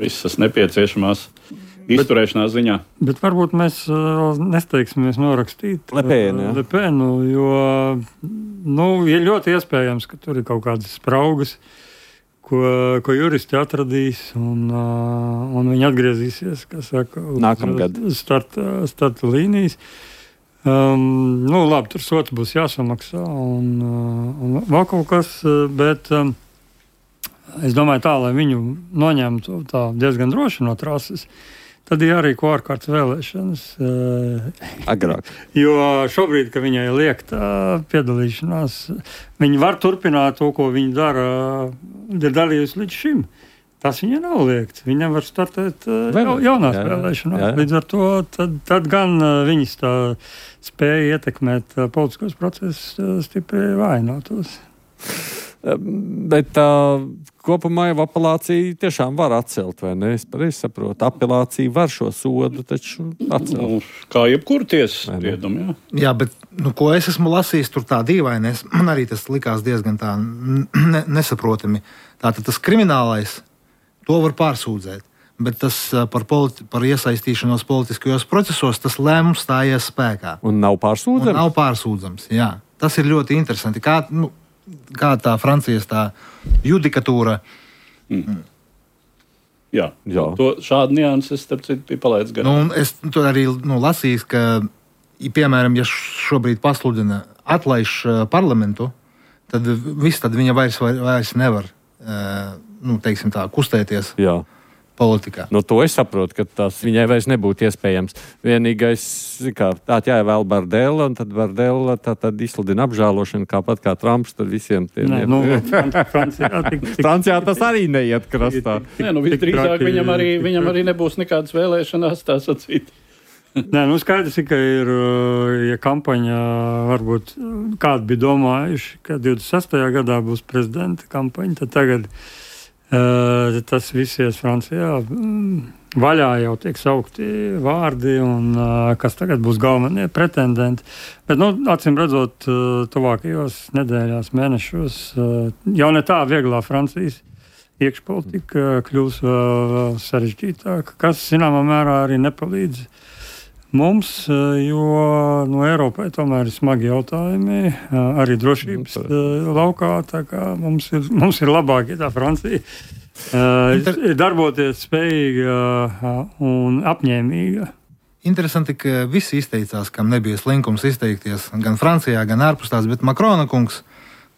visas nepieciešamās izturēšanās ziņā. Bet varbūt mēs uh, nesteigsimies norakstīt Lepēnu, ja? Lepēnu, jo nu, ir ļoti iespējams, ka tur ir kaut kādas spraugas, ko, ko juristi atradīs, un, uh, un viņi atgriezīsies, kā saka, uz starta, starta līnijas. Um, nu, labi, tur sots būs jāsamaksā, un, uh, un vēl kaut kas, bet um, es domāju tā, lai viņu noņemtu tā diezgan droši no trases, tad ir jārīko ārkārtas vēlēšanas. Agrāk. Jo šobrīd, kad viņai liekta piedalīšanās, viņi var turpināt to, ko viņi dara, ir darījusi līdz šim. Tas viņai nav liekts. Viņa var startēt ja, jaunās jā, vēlēšanās. Jā. Līdz ar to tad, tad gan viņas tā spēja ietekmēt politiskos procesus stipri vājinātos. Bet uh, kopumā jau apelācija tiešām var atcelt, vai ne? Es pareizi saprotu. Apelācija var šo sodu taču atcelt. Nu, kā jebkur tiesas spriedumu, jā. Jā, bet, nu, ko es esmu lasījis, tur tā dīvaini, man arī tas likās diezgan tā ne, nesaprotami. Tātad tas kriminālais, to var pārsūdzēt. Bet tas par, politi- par iesaistīšanos politiskajos procesos, tas lēmums stājies spēkā. Un nav pārsūdzams? Un nav pārsūdzams, jā. Tas ir ļoti interesanti. Kā, nu, kā tā Francijas tā judikatūra. Mm. Jā, jā. To, šādu nianses es starp citu biju palaidis garām. Nu, es to arī nu, lasīju, ka, piemēram, ja šobrīd pasludina atlaiž parlamentu, tad viss tad viņa vairs, vairs nevar nu, teiksim tā, kustēties. Jā. Politikā. Nu, to es saprotu, ka tas viņai vairs nebūtu iespējams. Vienīgais, kā tā jāievēl Bardella, un tad Bardella tā tad izsludina apžēlošanu, kāpat kā Trumps, tad visiem tiem. Nē, nu, Francijā, tik, tik, Francijā tas arī neiet krastā. Nē, nu, visdrīzāk viņam arī, viņam arī nebūs nekādas vēlēšanās, tā sacīt. Nē, nu skaidrs, ka ir, ja kampaņa varbūt kādi bija domājuši, ka divdesmit sestajā gadā būs prezidenta kampaņa, tad tagad Uh, tas viss ies Francijā. Vaļā jau tiek saukti vārdi, un uh, kas tagad būs galvenie pretendenti. Bet, nu, acīm redzot, uh, tuvākajos nedēļās, mēnešos, uh, jau ne tā vieglā Francijas iekšpolitika kļūs vēl uh, sarežģītāka, kas, zināmā mērā, arī nepalīdz mums, jo no Eiropai tomēr ir smagi jautājumi, arī drošības laukā, tā kā mums ir, mums ir labāk, ja tā Francija ir darboties spējīga un apņēmīga. Interesanti, ka visi izteicās, kam nebija slinkums izteikties gan Francijā, gan ārpus tās, bet Makrona kungs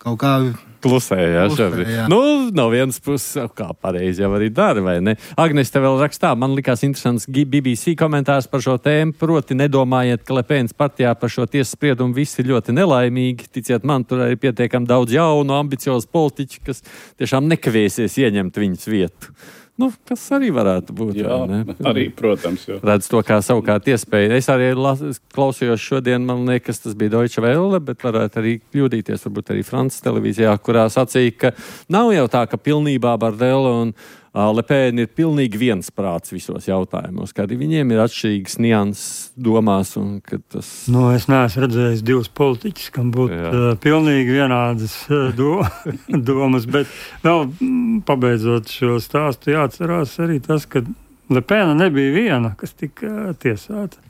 kaut kā klusēja. Jā. Nu, no vienas puses, kā pareizi jau arī dara, vai ne? Agnes te vēl rakstā, man likās interesants B B C komentārs par šo tēmu, proti nedomājiet, ka Lepēnas partijā par šo tiesas spriedumu visi ir ļoti nelaimīgi. Ticiet man, tur arī pietiekam daudz jaunu, ambiciozu politiķu, kas tiešām nekavēsies ieņemt viņas vietu. Nu, kas arī varētu būt. Jā, arī, protams. Jo. Redz to kā savukārt iespēju. Es arī las, klausījos šodien, man liekas, tas bija Deutsche Welle, bet varētu arī kļūdīties, varbūt arī Francijas televīzijā, kurā sacīja, ka nav jau tā, ka pilnībā Bardella un Lepēna ir pilnīgi viensprāts visos jautājumos, kā arī viņiem ir atšķirīgas nianses domās. Un, tas... Nu, es neesmu redzējis divus politiķus, kam būtu uh, pilnīgi vienādas uh, do, domas, bet vēl pabeidzot šo stāstu jāatcerās arī tas, ka Lepēna nebija viena, kas tika tiesāta.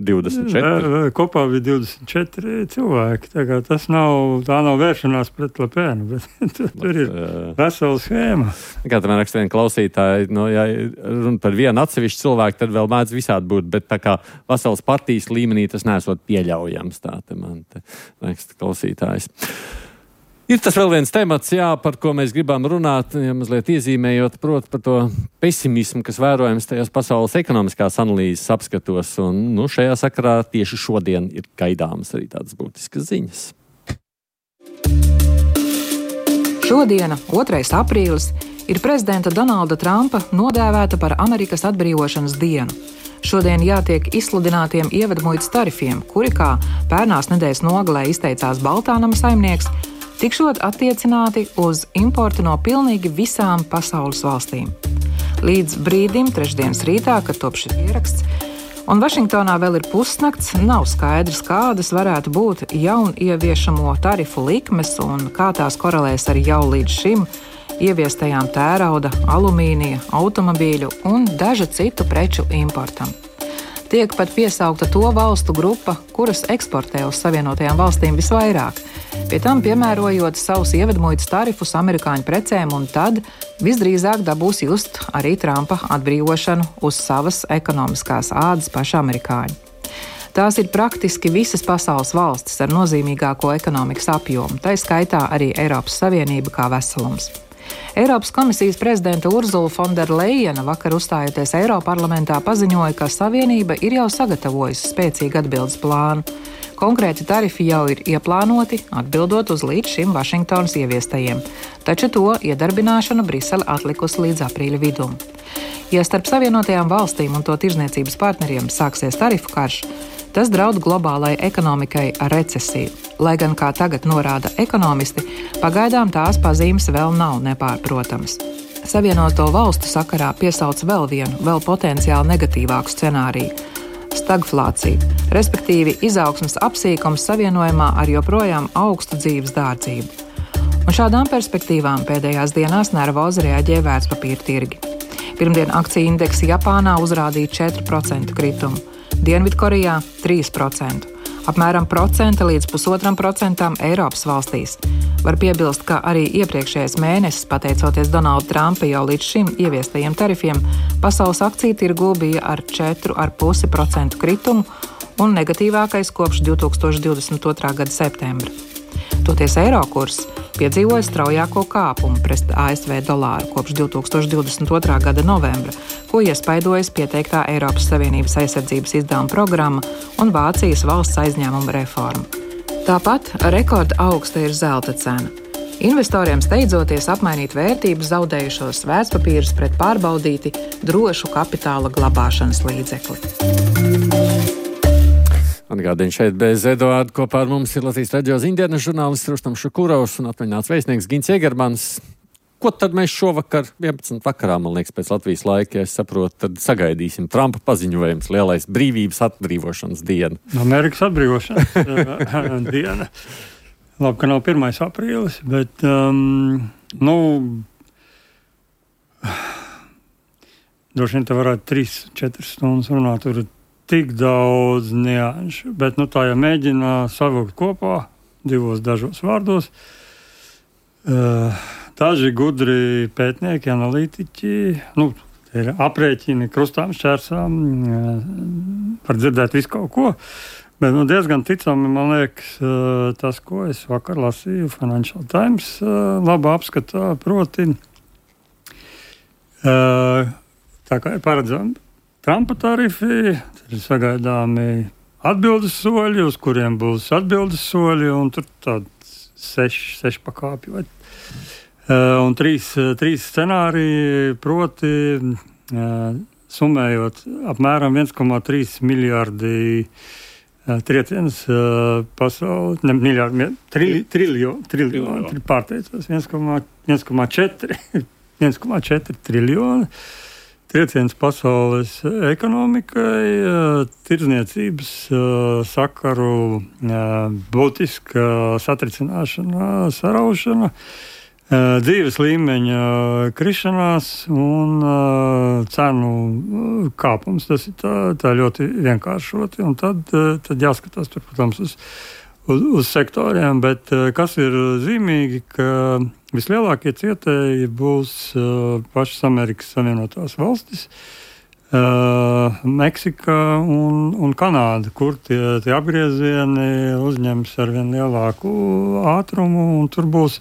divdesmit četri Kopā bija divdesmit četri cilvēki. Tā, tas nav, tā nav vēršanās pret Lepēnu, bet tur, tur ir vesela schēma. Kā tā man raksta viena klausītāja, no, ja runa par vienu atsevišķu cilvēku, tad vēl mēdz visādi būt, bet tā kā veselas partijas līmenī tas nesot pieļaujams. Tā te man te raksta klausītājs. Ir tas vēl viens temats, jā, par ko mēs gribam runāt, ja mazliet iezīmējot, proti par to pesimismu, kas vērojams tajās pasaules ekonomiskās analīzes apskatos. Un, nu, šajā sakarā tieši šodien ir gaidāmas arī tādas būtiskas ziņas. Šodiena, otrais aprīlis, ir prezidenta Donalda Trumpa nodēvēta par Amerikas atbrīvošanas dienu. Šodien jātiek izsludinātiem ievedmuitas tarifiem, kuri, kā pērnās nedēļas nogalē izteicās Baltānama saimnieks, tikšot attiecināti uz importu no pilnīgi visām pasaules valstīm. Līdz brīdim, trešdienas rītā, kad top šis ieraksts, un Vašingtonā vēl ir pusnakts, nav skaidrs, kādas varētu būt jaunieviešamo tarifu likmes un kā tās korelēs ar jau līdz šim ieviestajām tērauda, alumīnija, automobīļu un dažu citu preču importam. Tiek pat piesaukta to valstu grupa, kuras eksportē uz Savienotajām valstīm visvairāk, pie tam piemērojot savus ievedmuitas tarifus amerikāņu precēm, un tad visdrīzāk dabūs just arī Trumpa atbrīvošanu uz savas ekonomiskās ādas paši amerikāņi. Tās ir praktiski visas pasaules valstis ar nozīmīgāko ekonomikas apjomu, tai skaitā arī Eiropas Savienība kā veselums. Eiropas komisijas prezidenta Urzula Fonderlejena vakar uzstājoties Eiroparlamentā paziņoja, ka Savienība ir jau sagatavojusi spēcīgu atbildes plānu. Konkrēti tarifi jau ir ieplānoti, atbildot uz līdz šim Vašingtonas ieviestajiem, taču to iedarbināšanu Brisele atlikusi līdz aprīļa vidum. Ja starp Savienotajām valstīm un to tirzniecības partneriem sāksies tarifu karš, tas draud globālai ekonomikai ar recesiju. Lai gan, kā tagad norāda ekonomisti, pagaidām tās pazīmes vēl nav nepārprotamas. Savienoto valstu sakarā piesauc vēl vienu, vēl potenciāli negatīvāku scenāriju – stagflāciju, respektīvi izaugsmes apsīkums savienojumā ar joprojām augstu dzīves dārdzību. Un šādām perspektīvām pēdējās dienās nervozi reaģē vērtspapīra tirgi. Pirmdien akciju indeksi Japānā uzrādīja četru procentu kritumu, Dienvidkorejā trīs procenti, apmēram procenta līdz pusotram procentam Eiropas valstīs. Var piebilst, ka arī iepriekšējais mēnesis, pateicoties Donalda Trumpa jau līdz šim ieviestajiem tarifiem, pasaules akciju tirgū bija ar četru komats pieci procenta kritumu un negatīvākais kopš divtūkstoš divdesmit otrā gada septembra. Toties eiro kurs piedzīvoja straujāko kāpumu pret A S V dolāru kopš divtūkstoš divdesmit otrā gada novembra, ko iespaidojas pieteiktā Eiropas Savienības aizsardzības izdevuma programma un Vācijas valsts aizņēmuma reforma. Tāpat rekorda augsta ir zelta cena. Investoriem steidzoties apmainīt vērtības zaudējušos vērtspapīrus pret pārbaudīti drošu kapitāla glabāšanas līdzekli. Atgādini šeit bez Eduārda kopā ar mums ir Latvijas radio ziņdienas žurnālists Rustams Šukurovs un atvaļināts vēstnieks Gints Egermans. Ko tad mēs šovakar, vienpadsmit vakarā, man liekas, pēc Latvijas laika, ja es saprotu, tad sagaidīsim Trumpa paziņojums, lielais brīvības atbrīvošanas diena. Amerikas atbrīvošanas diena. Labi, ka nav pirmais aprīlis, bet, um, nu, droši vien te varētu trīs, četras stundas runāt, tur tik daudz nianšu, bet nu, tā jau mēģina savilkt kopā divos dažos vārdos. Uh, daži gudri pētnieki, analītiķi, nu, ir aprēķini krustām, šķērsām, uh, var dzirdēt visu kaut ko, bet nu, diezgan ticami, man liekas, uh, tas, ko es vakar lasīju Financial Times, uh, labā apskatā, proti, uh, tā kā ir paredzami Trumpa tarifi, tad ir sagaidāmi atbildes soļi, uz kuriem būs atbildes soļi, un tur tādi seši, seši pakāpji. Vai, uh, un trīs, trīs scenāriji, proti, uh, summējot apmēram viens komats trīs miljārdi uh, trieciens uh, pasauli, ne miljārdi, trili, triljo, triljo, pārteicos, viens komats četri viens komats četri triljoni. Trieciens pasaules ekonomikai, tirdzniecības sakaru būtiska satricināšana, saraušana, dzīves līmeņa krišanās un cenu kāpums. Tas ir tā, tā ļoti vienkāršoti. Un tad, tad jāskatās tur, protams, uz, uz, uz sektoriem. Bet kas ir zīmīgi, ka vislielākie cietēji būs uh, pašas Amerikas Savienotās valstis, uh, Meksika un, un Kanāda, kur tie, tie apgriezieni uzņems ar vien lielāku ātrumu, un tur būs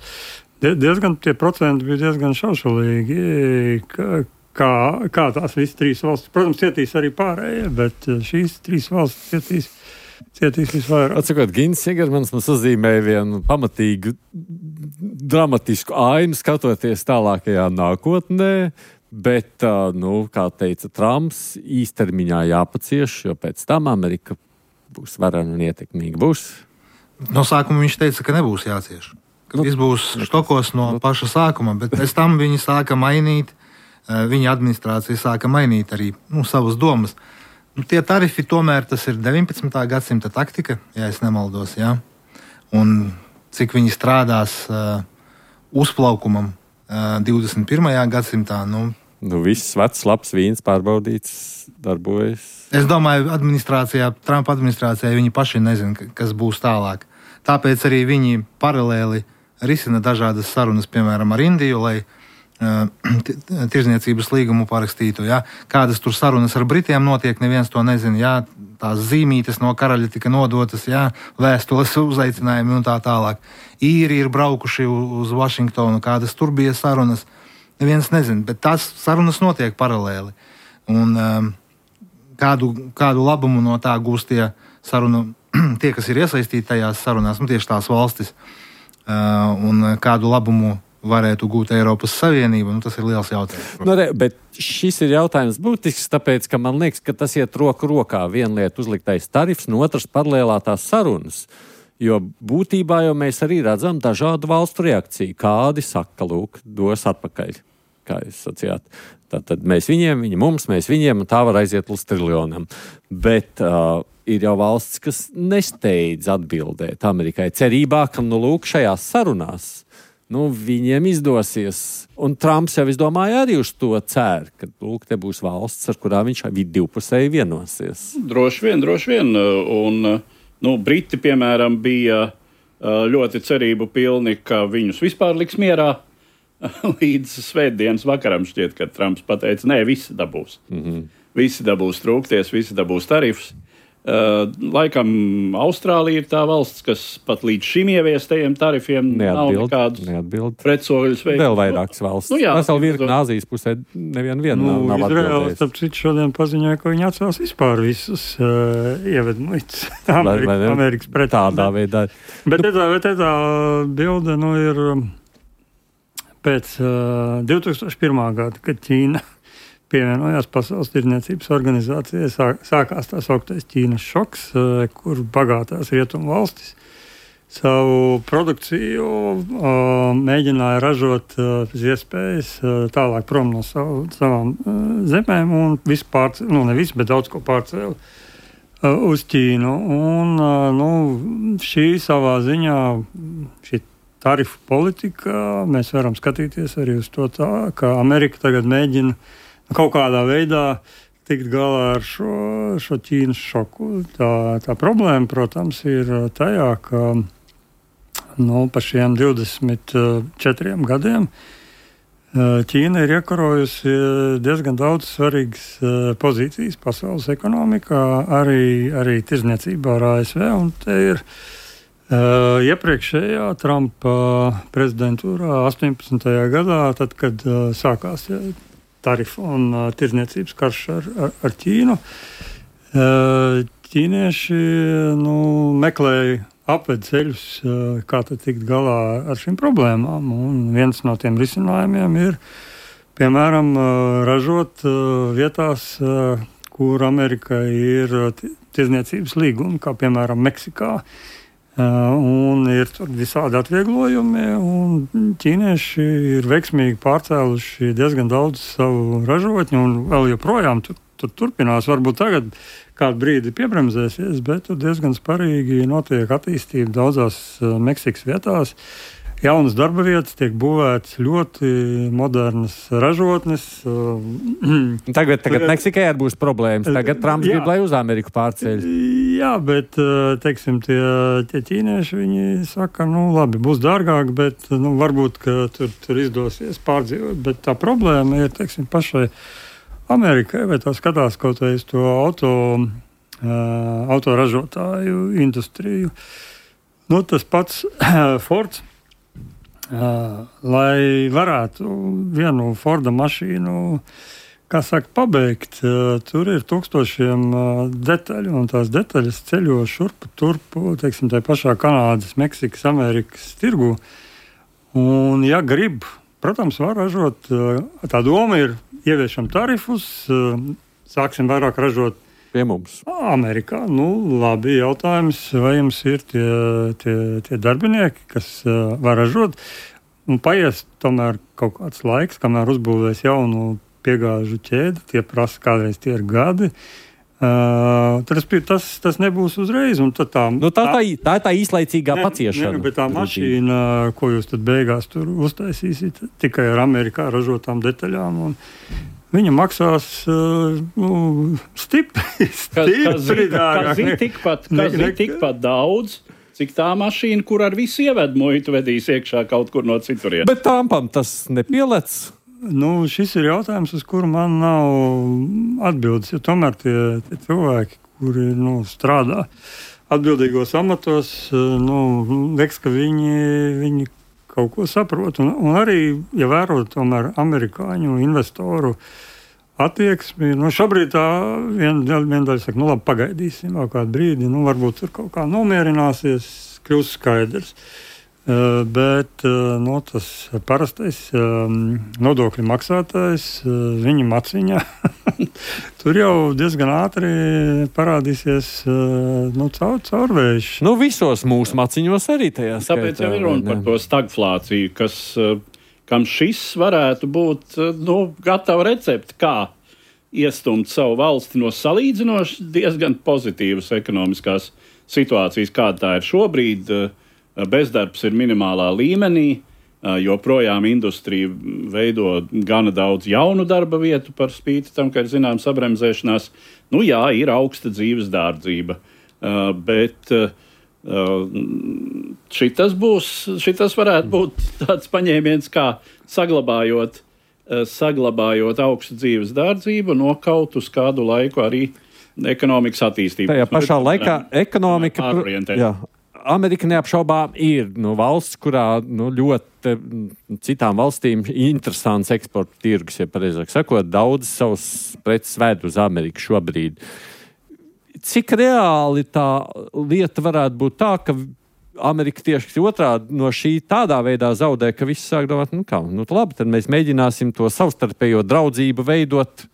diezgan, tie procenti bija diezgan šaušalīgi, kā, kā, kā tās visas trīs valstis. Protams, cietīs arī pārējie, bet šīs trīs valstis cietīs. Cietīs visvairāk. Atsakot, Gins Sigermans mums uzzīmēja vienu pamatīgu dramatisku ainu, skatoties tālākajā nākotnē, bet, nu, kā teica Trumps, īstermiņā jāpacieš, jo pēc tam Amerika būs varena un ietekmīga. Būs? No sākuma viņš teica, ka nebūs jācieš. Ka nu, viss būs štokos no nu, paša sākuma, bet pēc tam viņi sāka mainīt, viņa administrācija sāka mainīt arī nu, savas domas. Nu, tie tarifi tomēr tas ir deviņpadsmitā gadsimta taktika, ja es nemaldos, jā. Un cik viņi strādās uh, uzplaukumam uh, divdesmit pirmajā gadsimtā, nu... Nu, viss vecs, labs vīns pārbaudīts, darbojas. Es domāju, administrācijā, Trumpa administrācijā viņi paši nezina, kas būs tālāk. Tāpēc arī viņi paralēli risina dažādas sarunas, piemēram, ar Indiju, lai tirdzniecības līgumu parakstītu. Ja? Kādas tur sarunas ar Britiem notiek, neviens to nezina. Ja? Tās zīmītes no karaļa tika nodotas, ja? Vēstules uzaicinājumi un tā tālāk. Īri ir braukuši uz Vašingtonu, kādas tur bija sarunas. Neviens nezina, bet tās sarunas notiek paralēli. Un um, kādu, kādu labumu no tā gūst tie sarunu, tie, kas ir iesaistīti tajās sarunās, nu tieši tās valstis, uh, un kādu labumu varētu gūt Eiropas Savienība, nu tas ir liels jautājums. Nu, re, bet šis ir jautājums būtisks, tāpēc, ka man liekas, ka tas iet roku rokā. Viena lieta uzliktais tarifs, no otras paralēlātās sarunas. Jo būtībā jau mēs arī redzam dažādu valstu reakciju. Kādi saka, lūk, dos atpakaļ, kā jūs sacījāt. Tātad mēs viņiem, viņi mums, mēs viņiem, un tā var aiziet līdz triljonam. Bet uh, ir jau valsts, kas nesteidz atbildēt Amerikai cerībā, ka, nu, lūk, šajās sarunās nu, viņiem izdosies. Un Trumps jau, es domāju, arī uz to cer, ka, lūk, te būs valsts, ar kurām viņš divpusēji vienosies. Droši vien, droši vien. Un, nu, Briti, piemēram, bija ļoti cerību pilni, ka viņus vispār liks mierā. Līdz svētdienas vakaram šķiet, ka Trumps pateica, nē, visi dabūs. Mm-hmm. Visi dabūs trūkties, visi dabūs tarifus. Uh, laikam Austrālija ir tā valsts, kas pat līdz šim ieviestajiem tarifiem neatbild, nav nekādu pretsoļus veikt. Vēl vairākas valsts. Nu, jā, Vesel virkni Āzijas pusē nevienu vienu nu, nav, nav atbildējis. Izraels, tāpēc citu šodien paziņoja, ka viņi atcels vispār visus uh, ievedmuļus Amerikas, Amerikas pret. Tādā veidā. Bet tā, bet tā bilde, nu, ir pēc uh, divi tūkstoši pirmā gada, kad Ķīna pievienojās Pasaules tirdzniecības organizācijai, sāk, sākās tā sauktais Ķīnas šoks, kur bagātās rietumu valstis savu produkciju uh, mēģināja ražot uh, pēc iespējas uh, tālāk prom no savu, savām uh, zemēm un visu pārcēlu, nu ne visu, bet daudz ko pārcēlu uh, uz Ķīnu. Un uh, nu, šī savā ziņā, šī tarifu politika, mēs varam skatīties arī uz to tā, ka Amerika tagad mēģina kaut kādā veidā tikt galā ar šo, šo Ķīnas šoku. Tā, tā problēma, protams, ir tajā, ka nu, pa šiem divdesmit četriem gadiem Ķīna ir iekarojusi diezgan daudz svarīgas pozīcijas pasaules ekonomikā, arī, arī tirdzniecībā ar A S V, un te ir Uh, iepriekšējā Trumpa prezidentūrā astoņpadsmitajā gadā, tad, kad uh, sākās ja, tarifu un uh, tirdzniecības karš ar, ar, ar Ķīnu, uh, ķīnieši nu, meklēja apvedceļus, uh, kā tad tikt galā ar šīm problēmām. Un viens no tiem risinājumiem ir, piemēram, uh, ražot uh, vietās, uh, kur Amerikai ir uh, tirdzniecības līgumi, kā piemēram Meksikā. Un ir visādi atvieglojumi, un ķīnieši ir veiksmīgi pārcēluši diezgan daudz savu ražotņu, un vēl joprojām tur, tur turpinās. Varbūt tagad kādu brīdi piebremzēsies, bet tur diezgan sparīgi notiek attīstība daudzās Meksikas vietās. Jaunas darba vietas, tiek būvētas ļoti modernas ražotnes. Tagad, tagad Meksikai būs problēmas. Tagad Trumps jā. grib, lai uz Ameriku pārceļ. Jā, bet, teiksim, tie, tie ķīnieši, viņi saka, nu labi, būs dārgāk, bet nu, varbūt, ka tur, tur izdosies pārdzīvot. Bet tā problēma ir, teiksim, pašai Amerikai, vai tā skatās kaut vai uz to auto, autoražotāju industriju. Nu, tas pats Fords. Uh, lai varētu vienu Forda mašīnu, kā saka, pabeigt, uh, tur ir tūkstošiem uh, detaļu, un tās detaļas ceļo šurpu, turpu, teiksim, tai pašā Kanādas, Meksikas, Amerikas tirgu. Un, ja grib, protams, var ražot, uh, tā doma ir ieviešam tarifus, uh, sāksim vairāk ražot pie mums. Amerikā. Nu, labi, jautājums, vai jums ir tie, tie, tie darbinieki, kas uh, var ražot. Un paies tomēr kaut kāds laiks, kamēr uzbūvēs jaunu piegāžu ķēdi, tie prasa kādreiz tie ir gadi. Uh, tas, tas, tas nebūs uzreiz. Un tad tā, nu, tā, tā, tā ir tā īslaicīgā ne, paciešana. Ne, bet tā mašīna, ko jūs tad beigās tur uztaisīsiet, tikai ar Amerikā ražotām detaļām. Un, viņa maksās uh, nu, stipri, stipri dārgāk. Kas ir tikpat, tikpat daudz, cik tā mašīna, kur ar visu ievedu muitu vedīs iekšā kaut kur no citurien. Bet Trumpam tas nepielec? Nu, šis ir jautājums, uz kuru man nav atbildes, jo tomēr tie, tie cilvēki, kuri nu, strādā atbildīgos amatos, nu, liekas, ka viņi, viņi kaut ko saprot. Un, un arī, ja vērot tomēr amerikāņu investoru attieksmi, nu šobrīd tā viena vien daļa saka, nu labi, pagaidīsim vēl kādu brīdi, nu varbūt tur kaut kā nomierināsies, kļūs skaidrs. Uh, bet uh, no, tas parastais uh, nodokļu maksātājs, uh, viņa maciņā, tur jau diezgan ātri parādīsies uh, nu, caur, caurvējš. Nu, visos mūsu maciņos arī tajā skaitā. Tāpēc jau ir runa par to stagflāciju, kas, uh, kam šis varētu būt uh, nu, gatava recepte, kā iestumt savu valsti no salīdzinoši diezgan pozitīvas ekonomiskās situācijas, kāda tā ir šobrīd. Uh, Bezdarbs ir minimālā līmenī, joprojām industrija veido gana daudz jaunu darba vietu par spīti tam, ka ir zināms sabremzēšanās. Nu jā, ir augsta dzīves dārdzība, bet šitas, būs, šitas varētu būt tāds paņēmiens, kā saglabājot, saglabājot augstu dzīves dārdzību, nokaut uz kādu laiku arī ekonomikas attīstību. Tajā pašā laikā ekonomika... Jā. Amerika neapšaubām ir nu, valsts, kurā nu, ļoti citām valstīm interesants eksporta tirgus, ja pareizāk sakot, daudz savus preces ved uz Ameriku šobrīd. Cik reāli tā lieta varētu būt tā, ka Amerika tieši otrādi no šī tādā veidā zaudē, ka visi sāk domāt, nu kā, nu labi, tad mēs mēģināsim to savstarpējo draudzību veidot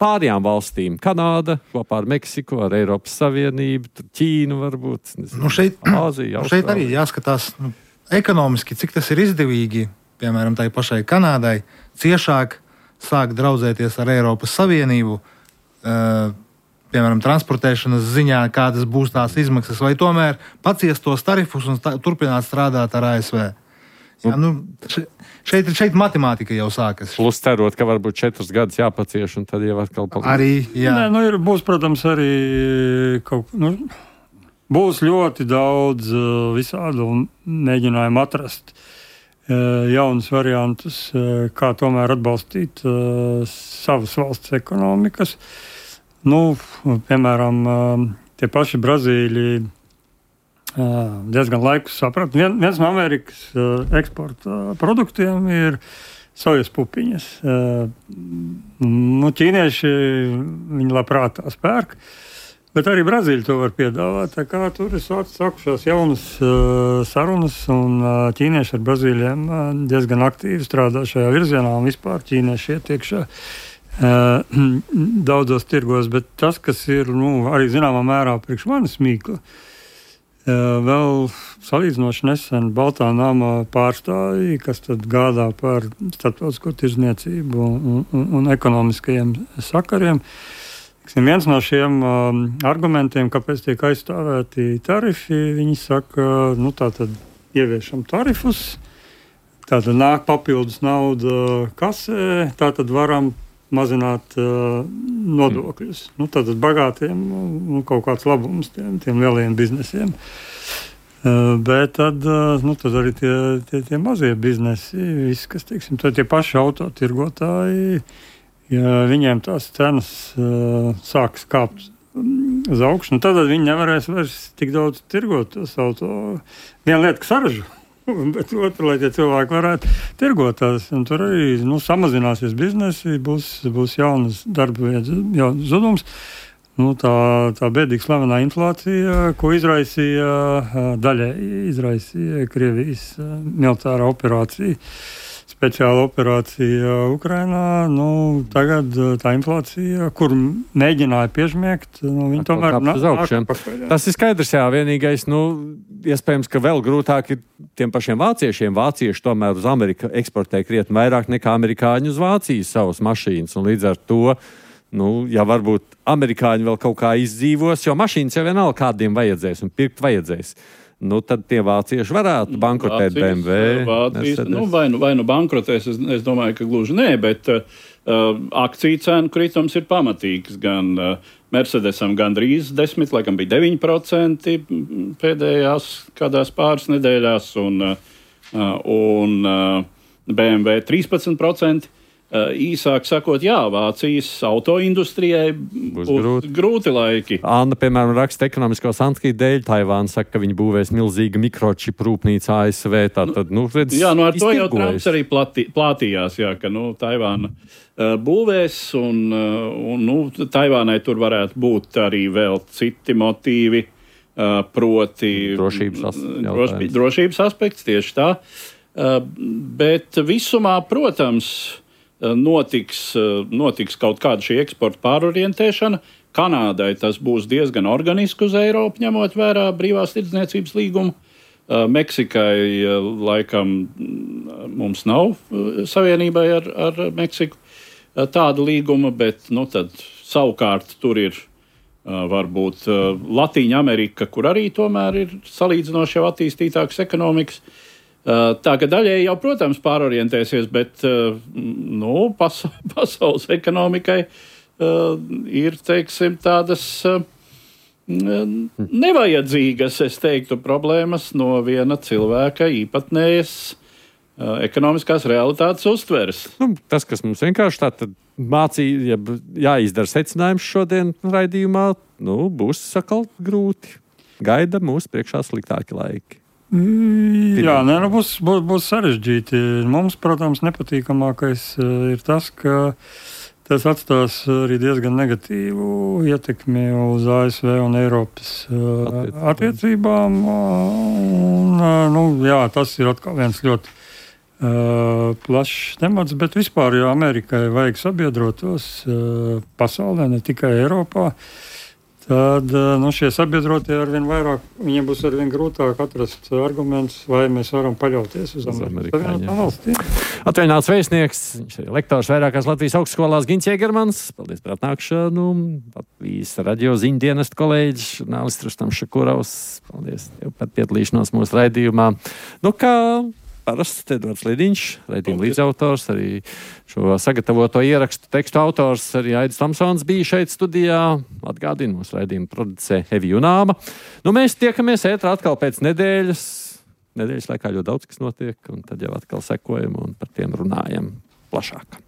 pārējām valstīm. Kanāda kopā ar Meksiku, ar Eiropas Savienību, Ķīnu varbūt, nezinu, nu šeit, Āziju, nu šeit arī jāskatās nu, ekonomiski, cik tas ir izdevīgi, piemēram, tai pašai Kanādai, ciešāk sāk draudzēties ar Eiropas Savienību, uh, piemēram, transportēšanas ziņā, kādas būs tās izmaksas, vai tomēr paciest tos tarifus un tā, turpināt strādāt ar A S V. Jā, nu, šeit, šeit matemātika jau sākas. Plus cerot, ka varbūt četrus gadus jāpacieš, un tad jau atkal palīdz. Arī, jā. Nē, nu ir, būs, protams, arī kaut, nu, būs ļoti daudz uh, visādu mēģinājumu atrast uh, jaunus variantus, uh, kā tomēr atbalstīt uh, savas valsts ekonomikas. Nu, piemēram, uh, tie paši Brazīļi diezgan laiku sapratu. Vien, viens no Amerikas uh, eksporta produktiem ir sojas pupiņas. Uh, nu, ķīnieši viņi labprāt tās pērk, bet arī Brazīļi to var piedāvāt. Tā kā tur ir sākušās jaunas uh, sarunas, un uh, ķīnieši ar Brazīļiem uh, diezgan aktīvi strādā šajā virzienā, un vispār ķīnieši iet iekšā uh, daudzos tirgos, bet tas, kas ir nu, arī zināmā mērā priekš manis mīkla, Vēl salīdzinoši nesen Baltā nama pārstāvji, kas tad gādā par starptautisko tirdzniecību un, un, un ekonomiskajiem sakariem. Viens no šiem um, argumentiem, kāpēc tiek aizstāvēti tarifi, viņi saka, nu tā tad ieviešam tarifus, tā tad nāk papildus nauda kasē, tā tad varam mazināt uh, nodokļus. Nu, tātad bagātiem nu, kaut kāds labums tiem, tiem lielajiem biznesiem. Uh, bet tad, uh, nu, tad arī tie, tie, tie mazie biznesi, visi, kas, teiksim, tie paši autotirgotāji, ja viņiem tās cenas uh, sāks kāpt uz augšu, nu, tad viņi nevarēs vairs tik daudz tirgot tos auto. Viena lieta, ka saražo. Bet otra, lai tie cilvēki varētu tirgot tās, un tur arī nu, samazināsies biznesi, būs, būs jaunas darba vietas, jaunas zudums. Nu, tā, tā bēdīgi slavenā inflācija, ko izraisīja daļai izraisīja Krievijas militārā operācija, speciāla operācija Ukrainā. Nu, tagad tā inflācija, kur mēģināja piežmiegt, nu, viņi tomēr nāk pakaļ. Tas ir skaidrs, jā, vienīgais, nu, iespējams, ka vēl grūtāk ir tiem pašiem vāciešiem. Vācieši tomēr uz Ameriku eksportē krietni vairāk nekā amerikāņi uz Vāciju savas mašīnas, un līdz ar to, nu, ja varbūt amerikāņi vēl kaut kā izdzīvos, jo mašīnas jau vienalga kādiem vajadzēs un pirkt vajadzēs. Nu, tad tie vācieši varētu bankrotēt B M W. Vācijas, nu, vai, nu, vai nu bankrotēs, es, es domāju, ka gluži nē, bet uh, akciju cenu kritums ir pamatīgs. Gan uh, Mercedesam gandrīz desmit, laikam bija deviņi procenti pēdējās kādās pāris nedēļās, un, uh, un uh, B M W trīspadsmit procenti. Uh, īsāk sakot, jā, Vācijas autoindustrijai būs, būs grūti. grūti laiki. Anna, piemēram, raksta ekonomisko sankciju dēļ. Taivāna saka, ka viņi būvēs milzīgu mikročipu rūpnīcu A S V. Tātad, nu, redz, jā, nu ar to jau Trumps arī platī, plātījās, jā, ka, nu, Taivāna uh, būvēs, un, uh, un, nu, Taivānai tur varētu būt arī vēl citi motīvi, uh, proti drošības, as, droši, drošības aspekts, tieši tā. Uh, bet visumā, protams, Notiks, notiks kaut kāda šī eksporta pārorientēšana. Kanādai tas būs diezgan organiski uz Eiropu, ņemot vērā brīvās tirdzniecības līgumu. Meksikai laikam mums nav savienībai ar, ar Meksiku tāda līguma, bet nu, tad, savukārt tur ir varbūt Latīņa Amerika, kur arī tomēr ir salīdzinoši jau attīstītākas ekonomikas. Tā ka daļēji jau, protams, pārorientēsies, bet nu, pasa- pasaules ekonomikai uh, ir, teiksim, tādas uh, nevajadzīgas, es teiktu, problēmas no viena cilvēka īpatnējas uh, ekonomiskās realitātes uztveres. Nu, tas, kas mums vienkārši tā tad mācīja, ja jāizdara secinājums šodien raidījumā, nu, būs sakal grūti. Gaida mūs priekšā sliktāki laiki. Jā, nē, nu būs, būs, būs sarežģīti. Mums, protams, nepatīkamākais ir tas, ka tas atstās arī diezgan negatīvu ietekmi uz A S V un Eiropas Attiecībām. attiecībām. Un, nu, jā, tas ir atkal viens ļoti uh, plašs temats, bet vispār, jo Amerikai vajag sabiedrotos uh, pasaulē, ne tikai Eiropā, tad nu, šie sabiedrotie arvien vairāk, viņiem būs arvien grūtāk atrast argumentus, vai mēs varam paļauties uz Amerikas valstīm. Atvaļināts vēstnieks, viņš ir lektors vairākās Latvijas augstskolās Gins Jēgermans. Paldies par atnākšanu. Latvijas radio ziņdienestu kolēģis, žurnālists Rustam Šakurovs. Paldies tev par piedalīšanos mūsu raidījumā. Nu, kā parasts Edvards Lidiņš, raidījuma līdzautors, arī šo sagatavoto ierakstu tekstu autors, arī Aidis Tamsons bija šeit studijā. Atgādina mūsu raidījuma producē Evi Junāma. Nu, mēs tiekamies ētrā atkal pēc nedēļas. Nedēļas laikā ļoti daudz, kas notiek, un tad jau atkal sekojam un par tiem runājam plašāk.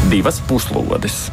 Divas puslodes.